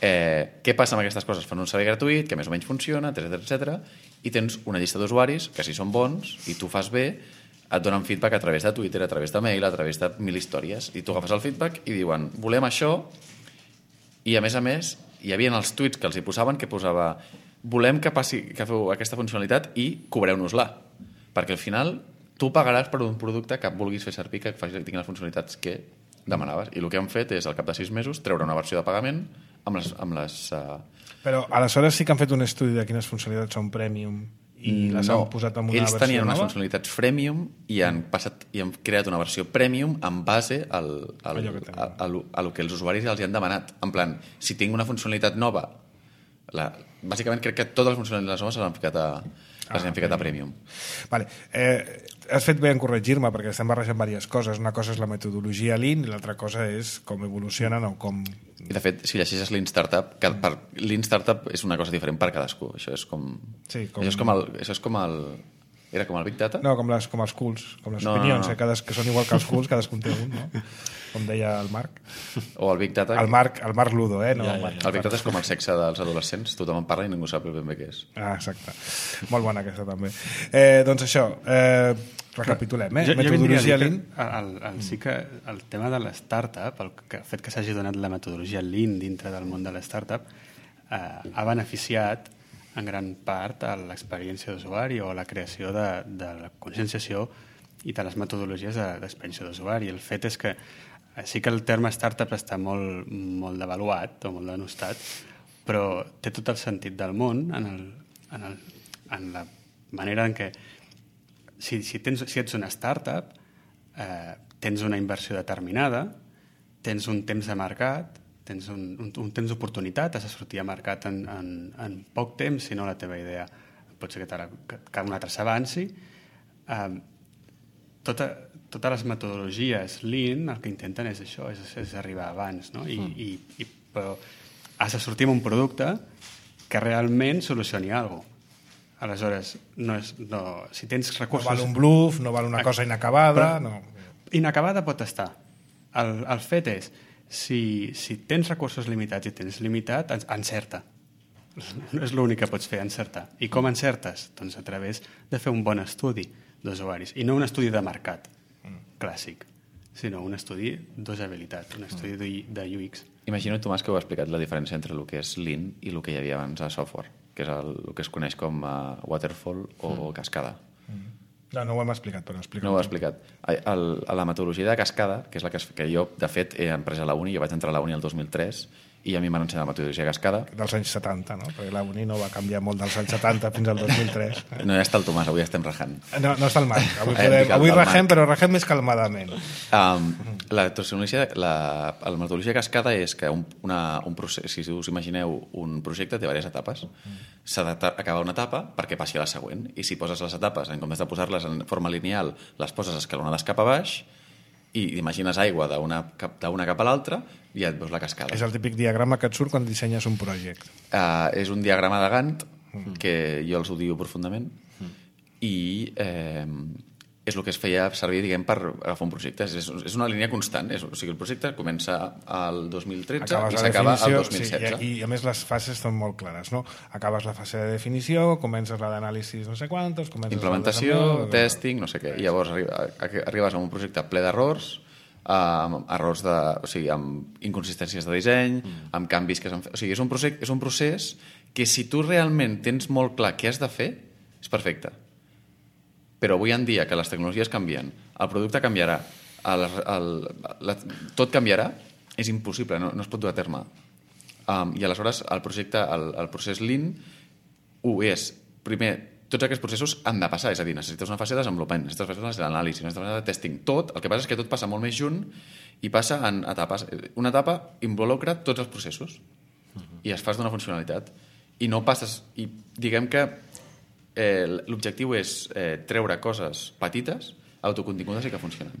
S2: Què passa amb aquestes coses? Fan un servei gratuït, que més o menys funciona, etc. I tens una llista d'usuaris que si són bons i tu fas bé, et donen feedback a través de Twitter, a través de mail, a través de 1000 històries, i tu agafes el feedback i diuen, volem això, i a més, hi havia els tuits que els hi posaven, que posava, volem que feu aquesta funcionalitat i cobreu-nos-la, perquè al final tu pagaràs per un producte que vulguis fer servir, que tingui les funcionalitats que demanaves, i el que han fet és, al cap de 6 mesos, treure una versió de pagament amb les
S1: Però aleshores sí que han fet un estudi de quines funcionalitats són premium i les han posat en una versió nova?
S2: Ells tenien unes funcionalitats freemium i han creat una versió premium en base a lo que els usuaris els han demanat. En plan, si tinc una funcionalitat nova, bàsicament crec que totes les funcionalitats noves s'han ficat a premium.
S1: Vale. Has fet bé en corregir-me perquè estem barrejant diverses coses. Una cosa és la metodologia Lean i l'altra cosa és com evolucionen o com...
S2: I de fet, si llegeixes Lean Startup, Lean Startup és una cosa diferent per cadascú. Això és com... Sí, això és com el... Era com el Big Data?
S1: No, com els cools, com les opinions, que són igual que els cools, cadascun té un, no? Com deia el Marc.
S2: O el Big Data...
S1: El Marc Ludo, no?
S2: El Big Data és com el sexe dels adolescents, tothom en parla i ningú sap ben bé què és.
S1: Exacte. Molt bona aquesta, també. Doncs això, recapitulem, metodologia Lean.
S4: Sí que el tema de l'startup, el fet que s'hagi donat la metodologia Lean dintre del món de l'startup, ha beneficiat en gran part a l'experiència d'usuari o a la creació de la conscienciació i de les metodologies d'experiència d'usuari. El fet és que sí que el terme startup està molt devaluat o molt denostat, però té tot el sentit del món en la manera en què si ets una startup tens una inversió determinada, tens un temps de mercat, tens un temps d'oportunitat, has de sortir a mercat en poc temps, si no la teva idea pot ser que un altre s'avanci. Totes les metodologies Lean el que intenten és això, és arribar abans, no? Però has de sortir amb un producte que realment solucioni alguna cosa. Aleshores, si tens recursos...
S1: No val un bluff, no val una cosa inacabada...
S4: Inacabada pot estar. El fet és, si tens recursos limitats i tens limitat, encerta. No és l'únic que pots fer, encertar. I com encertes? Doncs a través de fer un bon estudi d'usuaris. I no un estudi de mercat clàssic, sinó un estudi d'usabilitat, un estudi de UX.
S2: Imagino, Tomàs, que heu explicat la diferència entre el que és Lean i el que hi havia abans a software, que és el que es coneix com Waterfall o Cascada.
S1: No ho hem explicat, però explica.
S2: No ho he explicat. La metodologia de Cascada, que és la que jo, de fet, he après a la uni, jo vaig entrar a la uni el 2003, i a mi m'han ensenyat la metodologia cascada.
S1: Dels anys 70, no? Perquè la Uni no va canviar molt dels anys 70 fins al 2003.
S2: No ja està el Tomàs, avui estem rajant.
S1: No està el Marc. Avui rajem, però rajem més calmadament.
S2: La metodologia cascada és que un procés, si us imagineu un projecte, té diverses etapes. S'ha d'acabar una etapa perquè passi a la següent. I si poses les etapes, en comptes de posar-les en forma lineal, les poses escalonades cap a baix i imagines aigua d'una cap a l'altra i ja et veus la cascada.
S1: És el típic diagrama que et surt quan dissenyes un projecte.
S2: És un diagrama de Gantt que jo els odio profundament i és el que es feia servir, diguem, per agafar un projecte. És una línia constant. O sigui, el projecte comença al 2013 i s'acaba al 2016.
S1: Sí, i a més les fases són molt clares, no? Acabes la fase de definició, comences la d'anàlisis no sé quantos,
S2: implementació, testing, no sé què. I llavors arribes a un projecte ple d'errors, errors amb inconsistències de disseny, amb canvis que s'han fet. O sigui, és un procés que si tu realment tens molt clar què has de fer, és perfecte. Però avui en dia que les tecnologies canvien, el producte canviarà, tot canviarà, és impossible, no es pot dur a terme. I aleshores el procés Lean és, primer, tots aquests processos han de passar, és a dir, necessites una fase de desenvolupament, necessites una fase d'anàlisi, necessites una fase de testing, tot, el que passa és que tot passa molt més junt i passa en etapes. Una etapa involucra tots els processos i es fas d'una funcionalitat i no passes, i diguem que l'objectiu és treure coses petites, autocontingudes i que funcionen.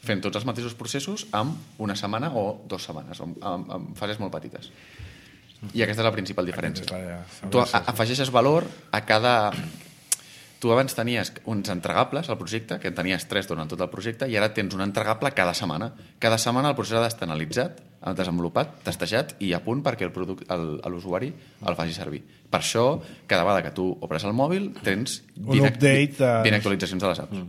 S2: Fent tots els mateixos processos amb una setmana o 2 setmanes, amb fases molt petites. I aquesta és la principal diferència. Tu afegeixes valor a cada... Tu abans tenies uns entregables al projecte, que en tenies 3 durant tot el projecte, i ara tens un entregable cada setmana. Cada setmana el procés ha d'estar analitzat, desenvolupat, testejat i a punt perquè l'usuari el faci servir. Per això, cada vegada que tu obres el mòbil, tens 20 actualitzacions de les apps.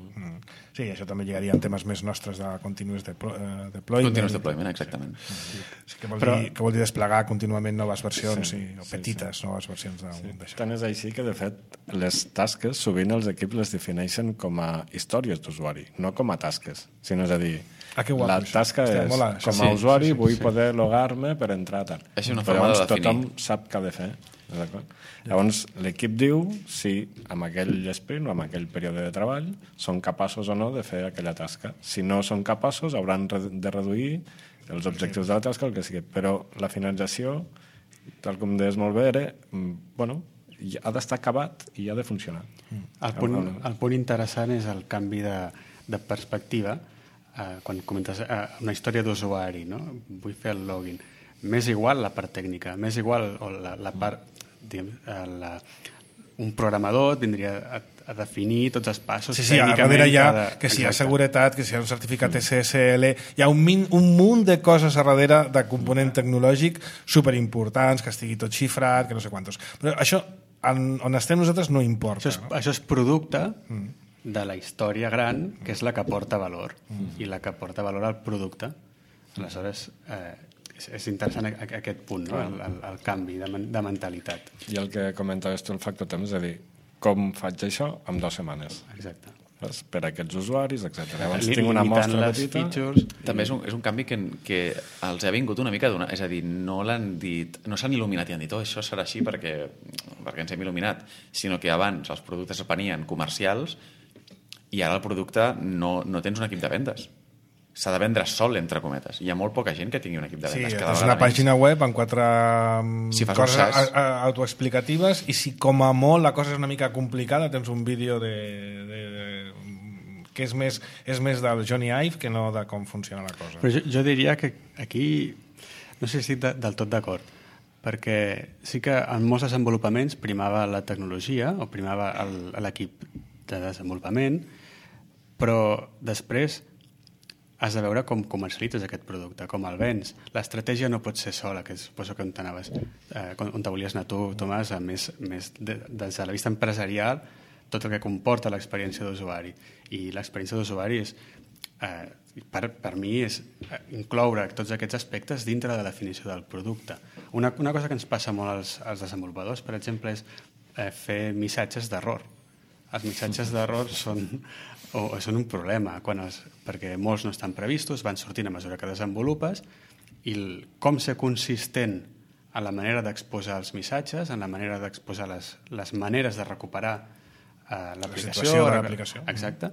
S1: Sí, això també lligaria en temes més nostres de continuous deployment.
S2: Continuous deployment, exactament.
S1: Sí, que vol dir desplegar contínuament noves versions o petites noves versions d'això.
S3: Tant és així que, de fet, les tasques sovint els equips les defineixen com a històries d'usuari, no com a tasques, sinó és a dir, la tasca és, com a usuari vull poder logar-me per entrar tal.
S2: És una forma de definir.
S3: Tothom sap què ha de fer. Llavors l'equip diu si amb aquell sprint o amb aquell període de treball són capaços o no de fer aquella tasca. Si no són capaços hauran de reduir els objectius de la tasca, el que sigui. Però la finalització, tal com deies molt bé, ha d'estar acabat i ha de funcionar.
S4: El punt interessant és el canvi de perspectiva quan comentes una història d'usuari, no? Vull fer el login. M'és igual la part tècnica, m'és igual la part... un programador tindria a definir tots els passos
S1: tècnicament. A darrere hi ha que si hi ha seguretat, que si hi ha un certificat SSL, hi ha un munt de coses a darrere de component tecnològic superimportants, que estigui tot xifrat, que no sé quantos. Però això, on estem nosaltres, no importa.
S4: Això és producte de la història gran, que és la que porta valor, i la que porta valor al producte. Aleshores, és interessant aquest punt, no? El canvi de mentalitat.
S3: I el que comentaves tu, el factor temps, és a dir, com faig això en 2 setmanes?
S4: Exacte.
S3: Per a aquests usuaris, etc. Llavors tinc una mostra petita.
S2: També és un canvi que els ha vingut una mica d'una... És a dir, no l'han dit... No s'han il·luminat i han dit això serà així perquè ens hem il·luminat, sinó que abans els productes es venien comercials i ara el producte no tens un equip de vendes. S'ha de vendre sol, entre cometes. Hi ha molt poca gent que tingui un equip de vendes.
S1: Sí, és una pàgina web amb 4 coses autoexplicatives i si com a molt la cosa és una mica complicada tens un vídeo que és més del Johnny Ive que no de com funciona la cosa.
S4: Però jo diria que aquí no sé si estic del tot d'acord, perquè sí que en molts desenvolupaments primava la tecnologia o primava l'equip de desenvolupament, però després has de veure com comercialitzes aquest producte, com el vens. L'estratègia no pot ser sola, que suposo que on t'anaves, on te volies anar tu, Tomàs, més des de la vista empresarial, tot el que comporta l'experiència d'usuari. I l'experiència d'usuari és, per mi, és incloure tots aquests aspectes dintre de la definició del producte. Una cosa que ens passa molt als desenvolupadors, per exemple, és fer missatges d'error. Els missatges d'error són un problema perquè molts no estan previstos, van sortint a mesura que desenvolupes com ser consistent en la manera d'exposar els missatges, en la manera d'exposar les maneres de recuperar l'aplicació.
S1: La situació de l'aplicació.
S4: Exacte.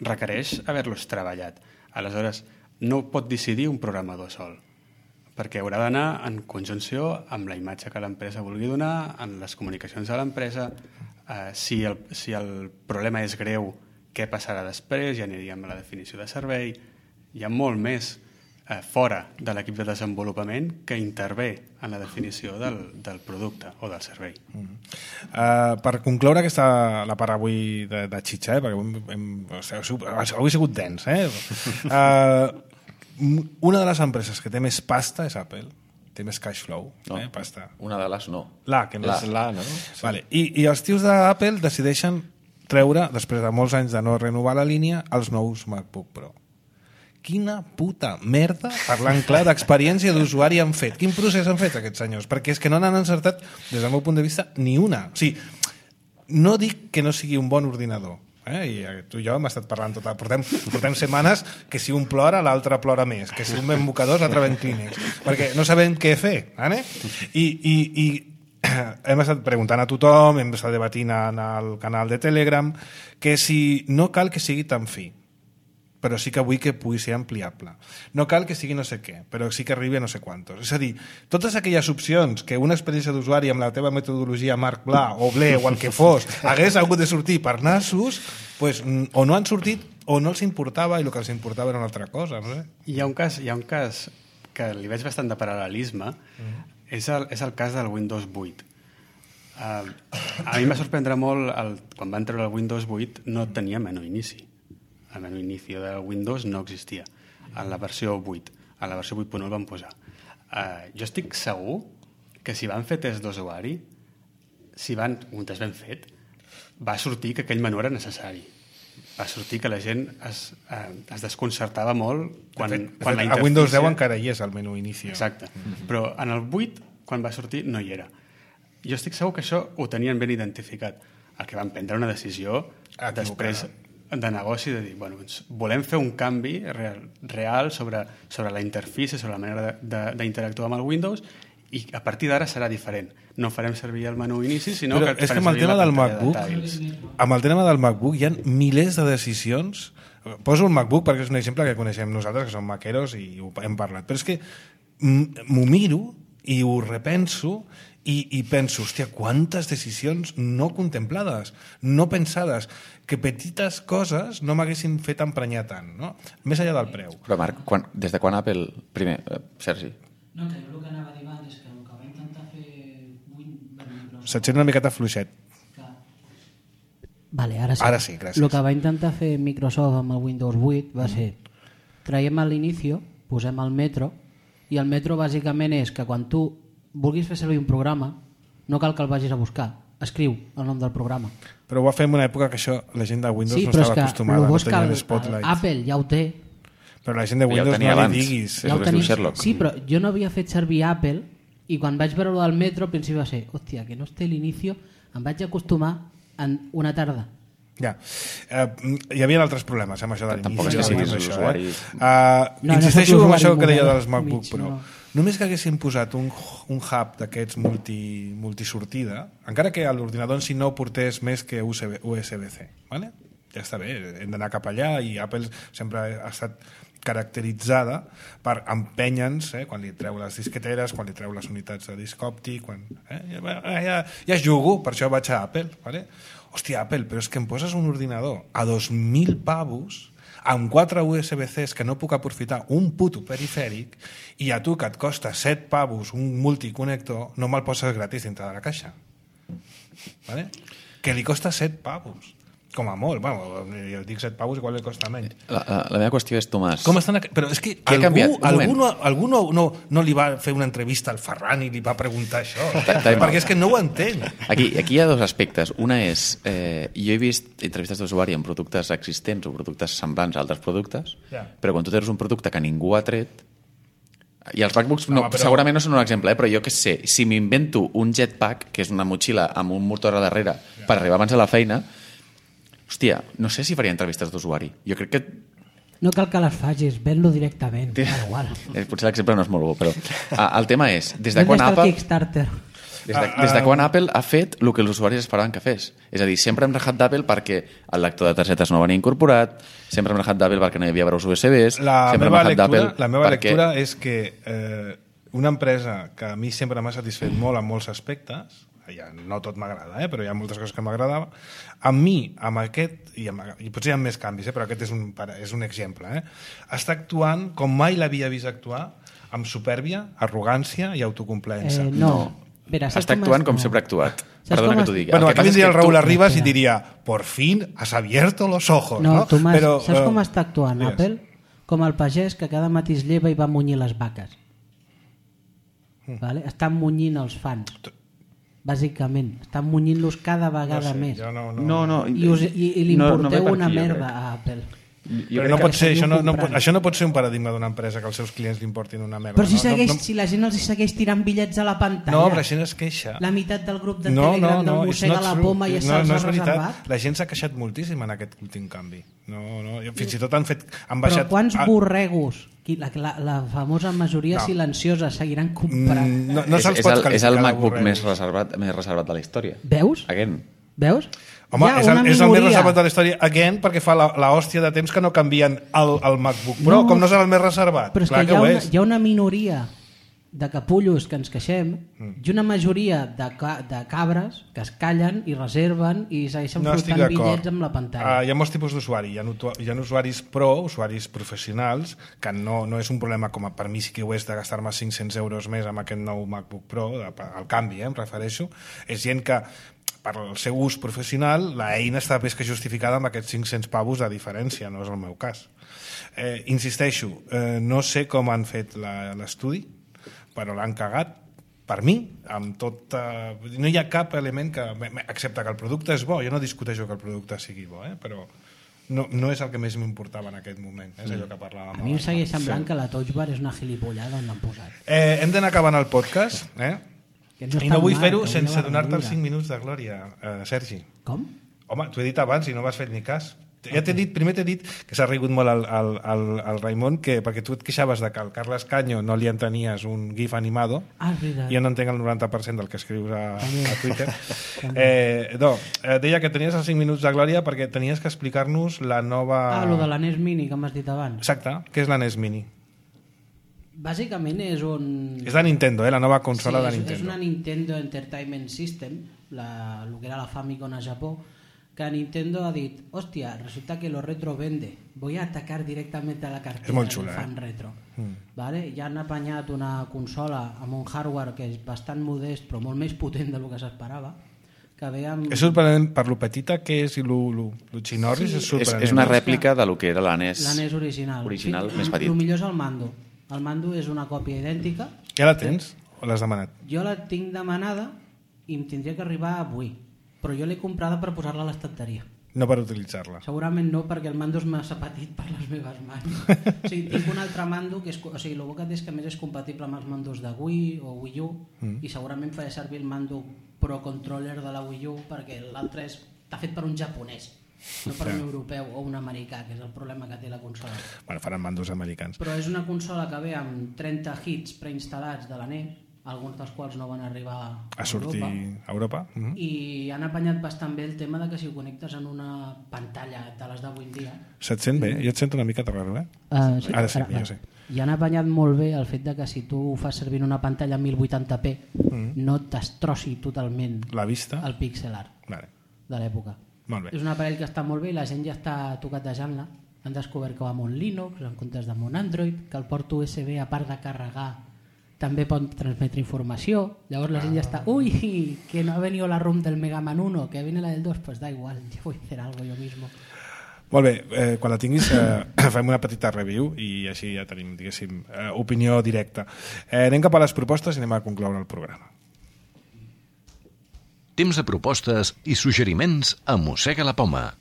S4: Requereix haver-los treballat. Aleshores, no pot decidir un programador sol, perquè haurà d'anar en conjunció amb la imatge que l'empresa vulgui donar, en les comunicacions de l'empresa. Si el problema és greu, què passarà després? Ja aniríem a la definició de servei. Hi ha molt més fora de l'equip de desenvolupament que intervé en la definició del producte o del servei.
S1: Per concloure la part avui de xitxa, perquè avui ha sigut dens, una de les empreses que té més pasta és Apple, té més cash flow, pasta.
S2: Una de les no.
S1: És la, no? Sí. Vale. I els tios d'Apple decideixen treure, després de molts anys de no renovar la línia, els nous MacBook Pro. Quina puta merda, parlant clar, d'experiència d'usuari han fet. Quin procés han fet aquests senyors? Perquè és que no n'han encertat, des del meu punt de vista, ni una. O sigui, no dic que no sigui un bon ordinador, i tu i jo hem estat parlant portem setmanes que si un plora l'altre plora més, que si un ven mocadors l'altre ven clínex, perquè no sabem què fer, i hem estat preguntant a tothom, hem estat debatint en el canal de Telegram, que si no cal que sigui tan fi, però sí que vull que pugui ser ampliable. No cal que sigui no sé què, però sí que arribi a no sé quantos. És a dir, totes aquelles opcions que una experiència d'usuari amb la teva metodologia Marc Bla o Ble o el que fos hagués hagut de sortir per nassos, pues, o no han sortit o no els importava i el que els importava era una altra cosa. No sé.
S4: Hi ha un cas que li veig bastant de paral·lelisme, és el cas del Windows 8. A mi va sorprendre molt quan van treure el Windows 8 no tenia menú inici. El menú inici de Windows no existia en la versió 8. A la versió 8.1 el van posar. Jo estic segur que si van fer test d'usuari, un test ben fet, va sortir que aquell menú era necessari. Va sortir que la gent es desconcertava molt quan la interfície...
S1: A Windows 10 encara hi és el menú inici.
S4: Exacte. Però en el 8, quan va sortir, no hi era. Jo estic segur que això ho tenien ben identificat. El que van prendre una decisió després de negoci, de dir, volem fer un canvi real sobre la interfície, sobre la manera d'interactuar amb el Windows, i a partir d'ara serà diferent. No farem servir el menú inici, sinó
S1: que farem servir la pantalla de tiles. Amb el tema del MacBook hi ha milers de decisions. Poso el MacBook perquè és un exemple que coneixem nosaltres, que som maqueros i ho hem parlat. Però és que m'ho miro i ho repenso i penso, hòstia, quantes decisions no contemplades, no pensades, que petites coses no m'haguessin fet emprenyar tant, no? Més enllà del preu.
S2: Però Marc, des de quan Apple... Primer, Sergi.
S6: No, que jo el que anava a dir abans és que el que va intentar fer...
S1: Se't sent una miqueta fluixet.
S6: Vale, ara sí.
S1: Ara sí, gràcies.
S6: El que va intentar fer Microsoft amb el Windows 8 va ser traiem a l'inici, posem el Metro, i el Metro bàsicament és que quan tu vulguis fer servir un programa no cal que el vagis a buscar, escriu el nom del programa.
S1: Però ho va fer en una època que això la gent de Windows no estava acostumada, no tenia l'Spotlight.
S6: Apple ja ho té.
S1: Però la gent de Windows no li diguis.
S6: Ja ho tenim. Sí, però jo no havia fet servir Apple i quan vaig veure del Metro al principi va ser, hòstia, que no es té l'inici, em vaig acostumar en una tarda.
S1: Ja. Hi havia altres problemes amb això de l'inici.
S2: Tampoc és que siguis usuari.
S1: Insisteixo amb això que deia dels MacBook Pro. Només que haguessin posat un hub d'aquests multisortida, encara que l'ordinador en si no portés més que USB-C, ¿vale? Ja està bé, hem d'anar cap allà i Apple sempre ha estat caracteritzada per empènyer-nos, quan li treu les disqueteres, quan li treu les unitats de disc òptic, ja jugo, per això vaig a Apple, ¿vale? Hòstia, Apple, però és que em poses un ordinador a 2.000 pavos amb 4 USB-Cs que no puc aprofitar un puto perifèric i a tu que et costa 7 pavos un multiconnector no me'l poses gratis dintre de la caixa, ¿vale? Que li costa 7 pavos com a molt, jo dic 7 pavos igual li costa menys.
S2: La meva qüestió és, Tomàs...
S1: Com estan però és que algú no li va fer una entrevista al Ferran i li va preguntar això, perquè és que no ho entén.
S2: Aquí hi ha dos aspectes. Una és, jo he vist entrevistes d'usuari en productes existents o productes semblants a altres productes, però quan tu tens un producte que ningú ha tret, i els MacBooks segurament no són un exemple, però jo què sé, si m'invento un jetpack, que és una motxilla amb un motor a darrere per arribar abans a la feina, hòstia, no sé si faria entrevistes d'usuari. Jo crec que
S6: No cal que les facis, ven-lo directament. Igual.
S2: Potser l'exemple no és molt bo, però el tema és, des de quan
S6: Ven-li
S2: Apple...
S6: el Kickstarter.
S2: Des de quan Apple ha fet el que els usuaris esperaven que fes. És a dir, sempre hem rajat d'Apple perquè el lector de targetes no venia incorporat, sempre hem rajat d'Apple perquè no hi havia braus USBs...
S1: La meva lectura és que una empresa que a mi sempre m'ha satisfet molt en molts aspectes, ja no tot m'agrada, però hi ha moltes coses que m'agradava, a mi, amb aquest, i potser hi ha més canvis, però aquest és un exemple, està actuant com mai l'havia vist actuar, amb supèrbia, arrogància i autocomplaença.
S6: No. Vera,
S2: està actuant com sempre ha actuat. Perdona que t'ho digui.
S1: Bueno, aquí vindria el Raúl Arribas i diria por fin has abierto los ojos.
S6: No, Tomàs, saps com està actuant Apple? Com el pagès que cada matí es lleva i va munyir les vaques. Vale? Estan munyint els fans. Bàsicament. Estan munyint-los cada vegada més. I li importeu una merda a Apple.
S1: Però no pot ser, això no pot ser un paradigma d'una empresa que els seus clients li importin una merda.
S6: Però si la gent els segueix tirant bitllets a la pantalla.
S1: No, però la gent es queixa.
S6: La meitat del grup de Telegram no mossega la poma i se'ls ha reservat.
S1: La gent s'ha queixat moltíssim en aquest últim canvi. Fins i tot han baixat...
S6: Però quants borregos, la famosa majoria silenciosa, seguiran comprant?
S1: No se'ls pot qualificar.
S2: És el MacBook més reservat de la història.
S6: Veus?
S2: Veus?
S1: Home, és el més reservat de la història, perquè fa l'hòstia de temps que no canvien el MacBook Pro, com no serà el més reservat.
S6: Però és que hi ha una minoria de capullos que ens queixem i una majoria de cabres que es callen i reserven i segueixen flotant bitllets amb la pantalla.
S1: Hi ha molts tipus d'usuari. Hi ha usuaris pro, usuaris professionals, que no és un problema com per mi sí que ho és de gastar-me 500 euros més amb aquest nou MacBook Pro, el canvi, em refereixo. És gent que per al seu ús professional, l'eina està més que justificada amb aquests 500 pavos de diferència, no és el meu cas. Insisteixo, no sé com han fet l'estudi, però l'han cagat, per mi, amb tot... no hi ha cap element que... excepte que el producte és bo, jo no discuteixo que el producte sigui bo, però no és el que més m'importava en aquest moment, és allò que parlàvem.
S6: A mi em segueix semblant que la Touch Bar és una gilipollada on l'han posat.
S1: Hem d'anar acabant el podcast, i no vull fer-ho sense donar-te els 5 minuts de glòria, Sergi.
S6: Com?
S1: Home, t'ho he dit abans i no m'has fet ni cas. Ja primer t'he dit que s'ha rigut molt al Raimon, perquè tu et queixaves de que al Carles Caño no li entenies un gif animado. Jo no entenc el 90% del que escrius a Twitter. Deia que tenies els 5 minuts de glòria perquè tenies que explicar-nos la nova...
S6: lo de la NES Mini que m'has dit abans.
S1: Exacte, què és la NES Mini?
S6: Bàsicament és un...
S1: És de Nintendo, la nova consola de Nintendo.
S6: És una Nintendo Entertainment System, el que era la Famicom a Japó, que Nintendo ha dit, hòstia, resulta que lo retro vende, voy a atacar directamente a la cartera del fan retro. Vale? Ja han apanyat una consola amb un hardware que és bastant modest però molt més potent del que s'esperava.
S1: És sorprenent per lo petita que és i lo xinorris, és sorprenent.
S2: És una rèplica de lo que era la NES
S6: original,
S2: més petit.
S6: El millor és el mando. El mando és una còpia idèntica.
S1: Ja la tens o l'has demanat?
S6: Jo la tinc demanada i em tindria que arribar avui, però jo l'he comprada per posar-la a l'estanteria.
S1: No per utilitzar-la?
S6: Segurament no, perquè el mando és massa petit per les meves mans. Tinc un altre mando que és... el bo que té és que més és compatible amb els mandos de Wii o Wii U i segurament faré servir el mando Pro Controller de la Wii U perquè l'altre està fet per un japonès, no per un europeu o un americà, que és el problema que té la consola.
S1: Bueno, faran mandos americans.
S6: Però és una consola que ve amb 30 hits preinstal·lats de la NES, alguns dels quals no van arribar a
S1: sortir a Europa.
S6: I han apanyat bastant bé el tema de que si ho connectes en una pantalla de les d'avui en dia...
S1: Se't sent bé? Jo et sento una mica raro,
S6: Sí,
S1: ara sí, jo sé.
S6: I han apanyat molt bé el fet de que si tu ho fas servir en una pantalla 1080p no et destrossi totalment
S1: la vista,
S6: el pixel art de l'època. És un aparell que està molt bé i la gent ja està toquetejant-la. Han descobert que va amb un Linux en comptes de amb un Android, que el port USB, a part de carregar, també pot transmetre informació. Llavors la gent ja està, uy, que no ha venido la ROM del Mega Man 1, que viene la del 2, pues da igual, yo voy a hacer algo yo mismo.
S1: Molt bé, quan la tinguis fem una petita review i així ja tenim, diguéssim, opinió directa. Anem cap a les propostes i anem a concloure el programa.
S7: Temps de propostes i suggeriments a Mossega la Poma.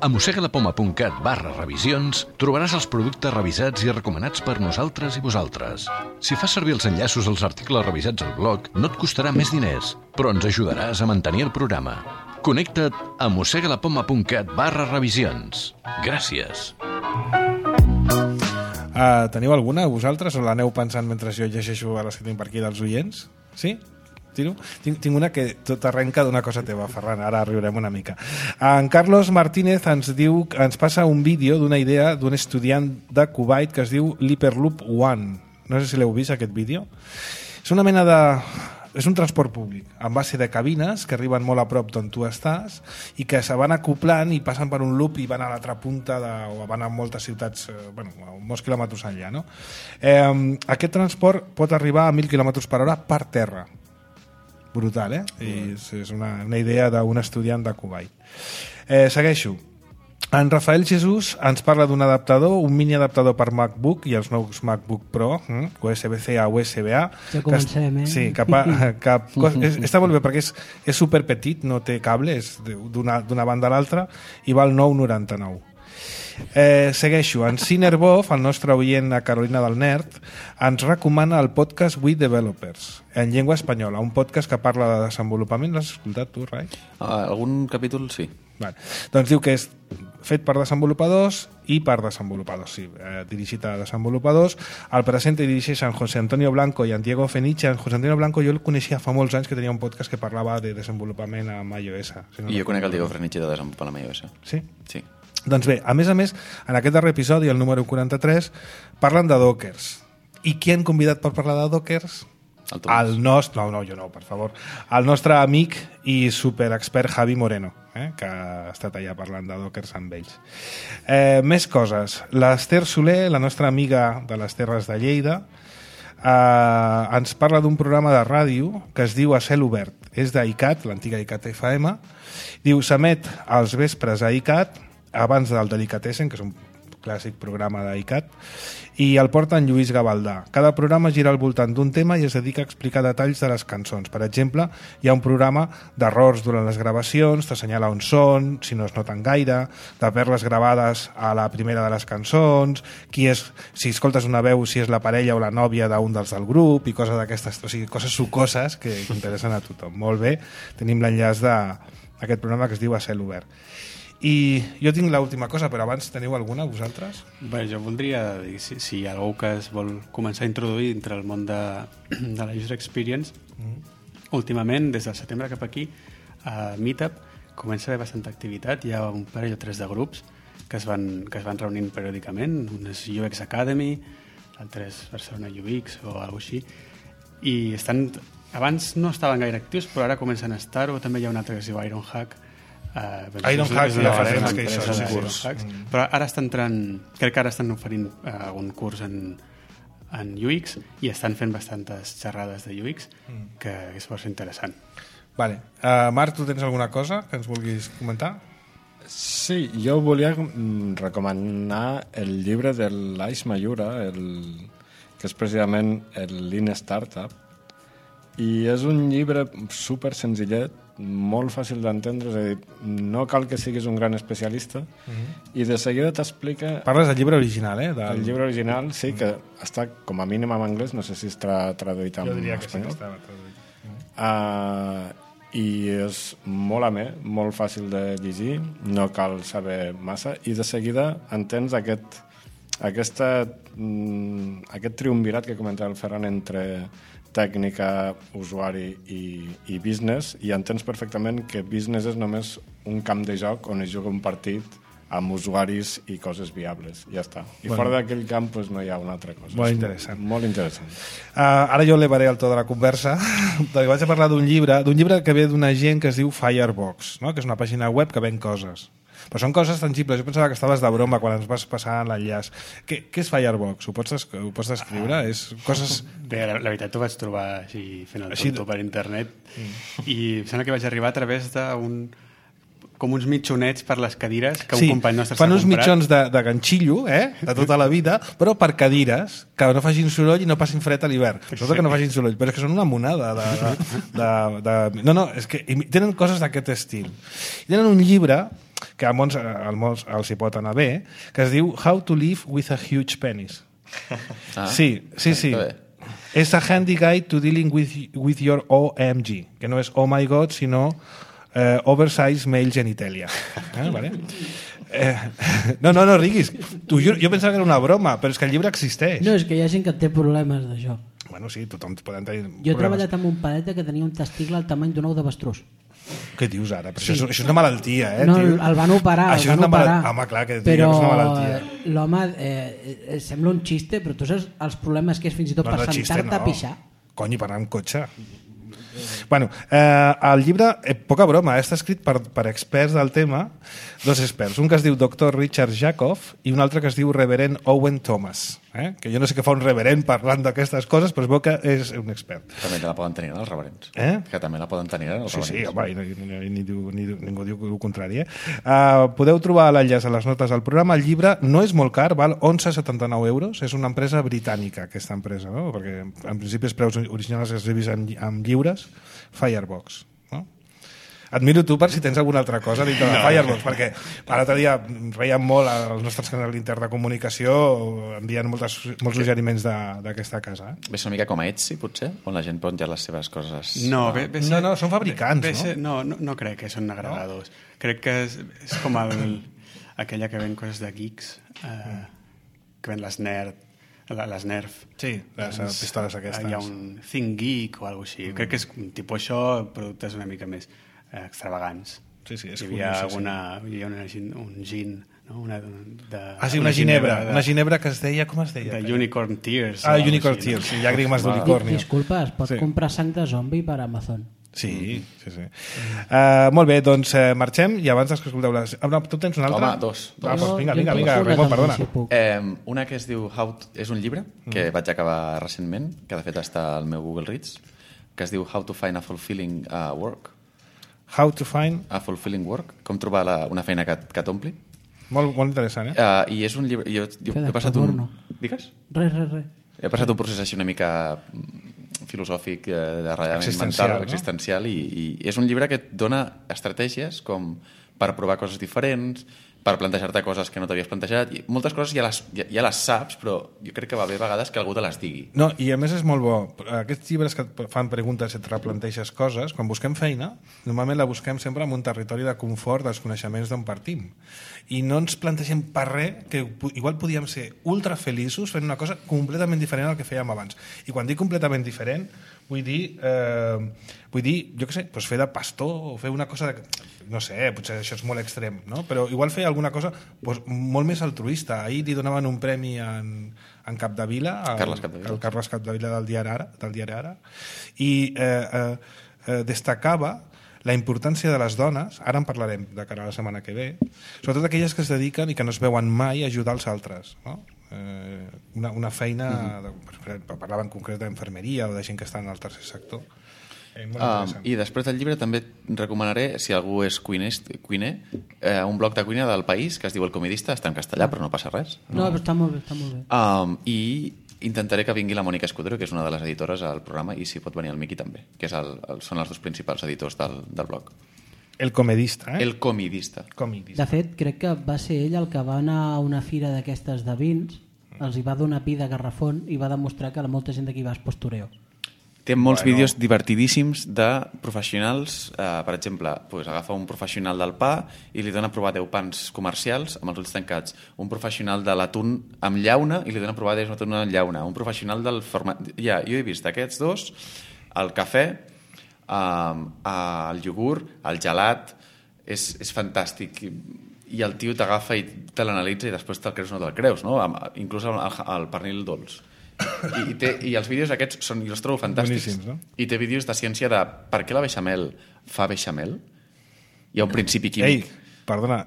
S7: A mossegalapoma.cat/revisions trobaràs els productes revisats i recomanats per nosaltres i vosaltres. Si fas servir els enllaços als articles revisats al blog, no et costarà més diners, però ens ajudaràs a mantenir el programa. Connecta't a mossegalapoma.cat/revisions. Gràcies.
S1: Teniu alguna, vosaltres, o l'aneu pensant mentre jo llegeixo a les que tinc per aquí dels oients? Sí? Tiro? Tinc una que tot arrenca d'una cosa teva, Ferran, ara riurem una mica. En Carlos Martínez ens passa un vídeo d'una idea d'un estudiant de Kuwait que es diu l'Hyperloop One. No sé si l'heu vist, aquest vídeo. És una mena de... És un transport públic, amb base de cabines que arriben molt a prop d'on tu estàs i que se van acoplant i passen per un loop i van a l'altra punta o van a moltes ciutats, a molts quilòmetres enllà. No? Aquest transport pot arribar a 1.000 km per hora per terra. Brutal, eh? I és una idea d'un estudiant de Kuwait. Segueixo. En Rafael Jesús ens parla d'un adaptador, un mini adaptador per MacBook i els nous MacBook Pro, USB-C a USB-A.
S6: Ja comencem, eh?
S1: Sí, està molt bé perquè és superpetit, no té cable, és d'una banda a l'altra i val 9,99. Segueixo. En Cinerbov, el nostre oient a Carolina del Nerd, ens recomana el podcast We Developers, en llengua espanyola, un podcast que parla de desenvolupament. L'has escoltat tu, Rai?
S2: Algun capítol sí.
S1: Vale. Doncs diu que és fet per desenvolupadors i per desenvolupadors, sí, dirigit a desenvolupadors. El presenta i dirigeix en José Antonio Blanco i en Diego Feniche. En José Antonio Blanco jo el coneixia fa molts anys, que tenia un podcast que parlava de desenvolupament amb iOS.
S2: Si no I jo conec el Diego Feniche de desenvolupament amb iOS.
S1: Sí?
S2: Sí.
S1: Doncs bé, a més, en aquest darrer episodi, el número 43, parlen de Dockers. I qui han convidat per parlar de Dockers? El nostre, jo no, per favor. El nostre amic i superexpert Javi Moreno, que ha estat allà parlant de Dockers amb ells. Més coses. L'Ester Soler, la nostra amiga de les Terres de Lleida, ens parla d'un programa de ràdio que es diu A Cel Obert. És d'ICAT, l'antiga ICAT FM. Diu, s'emet als vespres a ICAT, abans del Delicatessen, que és un clàssic programa d'ICAT, i el porta en Lluís Gavaldà. Cada programa gira al voltant d'un tema i es dedica a explicar detalls de les cançons. Per exemple, hi ha un programa d'errors durant les gravacions, t'assenyala on són, si no es noten gaire, de perles gravades a la primera de les cançons, si escoltes una veu, si és la parella o la nòvia d'un dels del grup, i coses d'aquestes, o sigui, coses sucoses que interessen a tothom. Molt bé, tenim l'enllaç d'aquest programa que es diu A Cel Obert. I jo tinc l'última cosa, però abans teniu alguna, vosaltres?
S4: Bé, jo voldria dir, si hi ha algú que es vol començar a introduir dintre el món de la user experience, últimament, des del setembre cap aquí, a Meetup comença a haver bastanta activitat. Hi ha un parell o tres de grups que es van reunint periòdicament. Un és UX Academy, l'altre és Barcelona UX o alguna cosa així. I abans no estaven gaire actius, però ara comencen a estar-ho. També hi ha un altre que es diu Ironhack.
S1: Ironhack, ja farem que això és un curs.
S4: Però ara crec que ara estan oferint un curs en UX i estan fent bastantes xerrades de UX que és força interessant.
S1: Vale. Marc, tu tens alguna cosa que ens vulguis comentar?
S3: Sí, jo volia recomanar el llibre de l'Ais Mayura, que és precisament el Lean Startup, i és un llibre super senzillet, molt fàcil d'entendre, és a dir, no cal que siguis un gran especialista, i de seguida t'explica...
S1: Parles del llibre original, eh?
S3: El llibre original, sí, que està com a mínim en anglès, no sé si està traduït en espanyol.
S1: Jo diria que sí que estava traduït.
S3: I és molt amè, molt fàcil de llegir, no cal saber massa, i de seguida entens aquest triumvirat que comentava el Ferran entre tècnica, usuari i business, i entens perfectament que business és només un camp de joc on es juga un partit amb usuaris i coses viables. Ja està. I fora d'aquell camp no hi ha una altra cosa.
S1: Molt interessant.
S3: Molt interessant.
S1: Ara jo elevaré el to de la conversa, perquè vaig a parlar d'un llibre que ve d'una gent que es diu Firebox, no? Que és una pàgina web que ven coses. Però són coses tangibles. Jo pensava que estaves de broma quan ens vas passar l'enllaç. Què és Firebox? Ho pots descriure? És coses...
S4: Bé, la veritat ho vaig trobar així fent el tonto per internet i em sembla que vaig arribar a través com uns mitjonets per les cadires que un company nostre s'ha comprat.
S1: Fan uns mitjons de ganxillo, de tota la vida, però per cadires, que no facin soroll i no passin fred a l'hivern. Sobretot que no facin soroll, però és que són una monada No, és que tenen coses d'aquest estil. Tenen un llibre que a molts els hi pot anar bé, que es diu How to Live with a Huge Penis. Sí. És a handy guide to dealing with your OMG, que no és oh my god, sinó Oversize Male Genitalia. Vale? No riguis. Jo pensava que era una broma, però és que el llibre existeix.
S6: No, és que hi ha gent que té problemes d'això.
S1: Bueno, sí, tothom poden tenir problemes.
S6: Jo he treballat amb un paleta que tenia un testicle al tamany d'un ou d'avestrós.
S1: Què dius ara? Però això és una malaltia,
S6: No,
S1: tio.
S6: el van operar,
S1: Això és una malaltia. Home, clar, que
S6: però
S1: és una malaltia.
S6: l'home sembla un xiste, però tu saps els problemes que és fins i tot per sentar-te a pixar?
S1: Cony, per anar amb cotxe. Bueno, el llibre, poca broma, està escrit per experts del tema, dos experts, un que es diu Dr. Richard Jacob i un altre que es diu Reverend Owen Thomas, que jo no sé què fa un reverend parlant d'aquestes coses, però es veu que és un expert.
S2: També la poden tenir els reverents. Que també la poden tenir els reverents.
S1: Sí, home, ningú diu el contrari. Podeu trobar l'enllaç a les notes del programa. El llibre no és molt car, val 11,79 euros. És una empresa britànica, aquesta empresa, no? Perquè en principi els preus originals es revisen amb lliures. Firebox, no? Admiro tu per si tens alguna altra cosa dintre de Firebox, perquè l'altre dia reiem molt als nostres canals d'interns de comunicació, envien molts suggeriments d'aquesta casa.
S2: Ves una mica com a Etsy, potser? On la gent pot ja les seves coses...
S4: No,
S1: són fabricants,
S4: no? No crec que són agregadors. Crec que és com aquella que ven coses de geeks, que ven les Nerf.
S1: Sí, les pistoles aquestes.
S4: Hi ha un Think Geek o alguna cosa així. Crec que és tipus això, productes una mica més extravagants.
S1: Sí, és
S4: hi havia un gin, no?
S1: Una ginebra que es deia, com es deia?
S4: De Unicorn Tears.
S1: Unicorn Tears, sí, llàgrimes d'unicorni.
S6: Disculpa, es pot comprar sang de zombi per Amazon.
S1: Sí. Molt bé, doncs marxem i abans que escolteu tu tens una altra?
S2: Home, dos.
S1: Vinga, Raimon, perdona.
S2: Una que es diu és un llibre que vaig acabar recentment, que de fet està al meu Google Reads, que es diu How to Find a Fulfilling Work.
S1: How to Find
S2: a Fulfilling Work, com trobar una feina que t'ompli.
S1: Molt interessant,
S2: I és un llibre... Jo he passat Digues?
S6: Res.
S2: He passat un procés així una mica filosòfic, de ratllament mental, existencial, i és un llibre que et dona estratègies com per provar coses diferents, per plantejar-te coses que no t'havies plantejat, i moltes coses ja les saps, però jo crec que va bé a vegades que algú te les digui.
S1: No, i a més és molt bo. Aquests llibres que et fan preguntes i et replanteges coses, quan busquem feina, normalment la busquem sempre en un territori de confort dels coneixements d'on partim. I no ens plantegem per res que igual podíem ser ultra feliços fent una cosa completament diferent al que fèiem abans. I quan dic completament diferent, vull dir, jo què sé, doncs fer de pastor o fer una cosa no sé, potser això és molt extrem, no? Però igual fer alguna cosa molt més altruista. Ahir li donaven un premi en Capdevila, el Carles Capdevila del diari Ara, i destacava la importància de les dones, ara en parlarem de cara a la setmana que ve, sobretot aquelles que es dediquen i que no es veuen mai a ajudar els altres, no? Una feina, parlava en concret d'infermeria o de gent que està en el tercer sector.
S2: I després del llibre també recomanaré, si algú és cuiner, un blog de cuina del País que es diu El Comidista, està en castellà però no passa res.
S6: No, però està molt bé.
S2: I intentaré que vingui la Mònica Escudero, que és una de les editores al programa, i si pot venir el Miqui també, que són els dos principals editors del blog.
S1: El Comedista,
S2: El Comidista.
S6: De fet, crec que va ser ell el que va anar a una fira d'aquestes de vins, els hi va donar pi de garrafón i va demostrar que molta gent d'aquí va es postureo.
S2: Té molts vídeos divertidíssims de professionals, per exemple, agafa un professional del pa i li dona a provar 10 pans comercials amb els ulls tancats, un professional de l'atún amb llauna i li dona a provar 10 atún amb llauna, un professional del format... Jo he vist aquests dos, el cafè, el iogurt, el gelat, és fantàstic, i el tio t'agafa i te l'analitza i després te'l creus o no te'l creus, no? Inclús el pernil dolç. I els vídeos aquests jo els trobo fantàstics,
S1: no?
S2: I té vídeos de ciència de per què la beixamel fa beixamel. Hi ha un principi químic.
S1: Ei, perdona,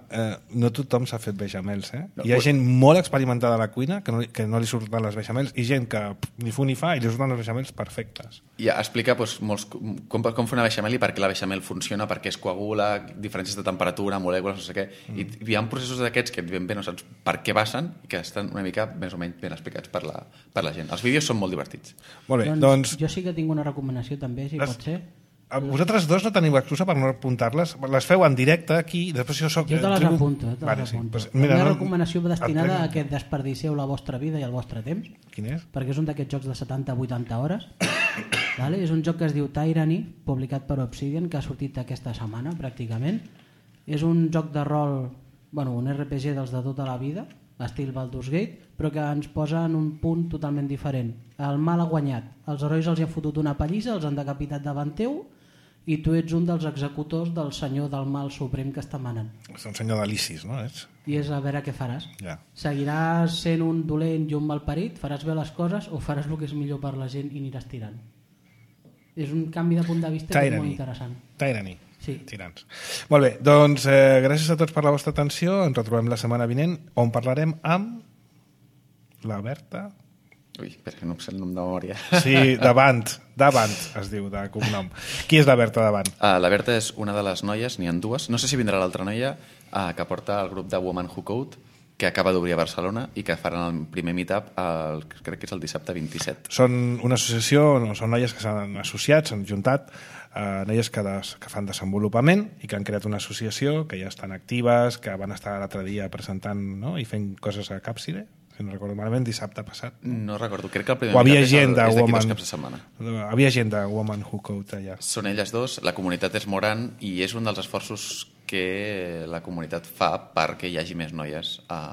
S1: no tothom s'ha fet beixamels, Hi ha gent molt experimentada a la cuina que no li surten les beixamels i gent que ni fu ni fa i li surten les beixamels perfectes.
S2: I explica com fer una beixamel i per què la beixamel funciona, per què es coagula, diferències de temperatura, molècules, no sé què. I hi ha processos d'aquests que ben bé no saps per què passen i que estan una mica més o menys ben explicats per la gent. Els vídeos són molt divertits.
S1: Molt bé, doncs...
S6: Jo sí que tinc una recomanació també, si pot ser.
S1: Vosaltres dos no teniu excusa per no apuntar-les, les feu en directe aquí i després
S6: jo te les apunto. La meva recomanació va destinada a que desperdiceu la vostra vida i el vostre temps.
S1: Quin és?
S6: Perquè és un d'aquests jocs de 70-80 hores Vale? És un joc que es diu Tyranny, publicat per Obsidian, que ha sortit aquesta setmana pràcticament. És un joc de rol, un RPG dels de tota la vida, estil Baldur's Gate, però que ens posa en un punt totalment diferent. El mal ha guanyat, els herois els hi han fotut una pallissa, els han decapitat davant teu, i tu ets un dels executors del senyor del mal suprem que està manant.
S1: És un senyor d'Alicis, no?
S6: I és a veure què faràs.
S1: Ja.
S6: Seguiràs sent un dolent i un malparit, faràs bé les coses o faràs el que és millor per la gent i aniràs tirant. És un canvi de punt de vista que és molt interessant.
S1: Tyranny.
S6: Sí.
S1: Tirants. Molt bé, doncs gràcies a tots per la vostra atenció. Ens retrobem la setmana vinent, on parlarem amb la Berta.
S2: Ui, espera, que no em sé el nom de memòria.
S1: Sí, Davant es diu, de cognom. Qui és la Berta Davant?
S2: La Berta és una de les noies, n'hi ha dues. No sé si vindrà l'altra noia que porta el grup de Woman Who Code, que acaba d'obrir a Barcelona i que faran el primer meetup, crec que és el dissabte 27.
S1: Són una associació, són noies que s'han associat, s'han juntat, noies que fan desenvolupament i que han creat una associació, que ja estan actives, que van estar l'altre dia presentant, no? I fent coses a Càpside, si no recordo malament, dissabte passat.
S2: No recordo, crec que el primer
S1: havia
S2: meetup és d'aquí
S1: Woman,
S2: 2 caps de setmana.
S1: Havia gent de Woman Who Code allà.
S2: Són elles dos, la comunitat és molt gran i és un dels esforços que la comunitat fa perquè hi hagi més noies a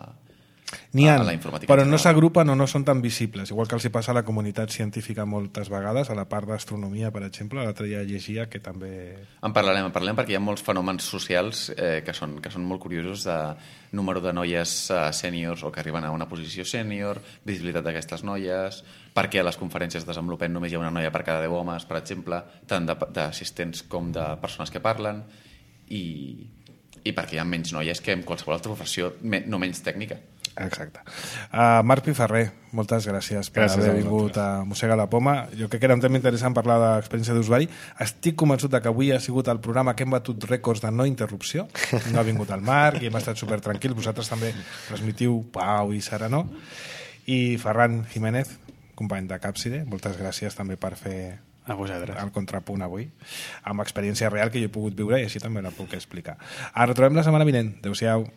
S2: la informàtica.
S1: Però no s'agrupen o no són tan visibles, igual que els hi passa a la comunitat científica moltes vegades, a la part d'astronomia, per exemple, l'altre dia llegia que també...
S2: En parlarem perquè hi ha molts fenòmens socials que són molt curiosos, de número de noies sèniors o que arriben a una posició sènior, visibilitat d'aquestes noies, perquè a les conferències de desenvolupament només hi ha una noia per cada 10 homes, per exemple, tant d'assistents com de persones que parlen, i perquè hi ha menys noies que en qualsevol altra professió no menys tècnica.
S1: Exacte. Marc Piferrer, moltes gràcies per haver vingut a Mossega la Poma. Jo crec que era un tema interessant parlar d'experiència d'usuari. Estic convençut que avui ha sigut el programa que hem batut rècords de no interrupció. No ha vingut el Marc i hem estat supertranquils. Vosaltres també transmitiu pau i serenor. I Ferran Jiménez, company de Càpside, moltes gràcies també per fer el contrapunt avui, amb experiència real que jo he pogut viure i així també la puc explicar. Ara retrobem la setmana vinent. Adéu-siau.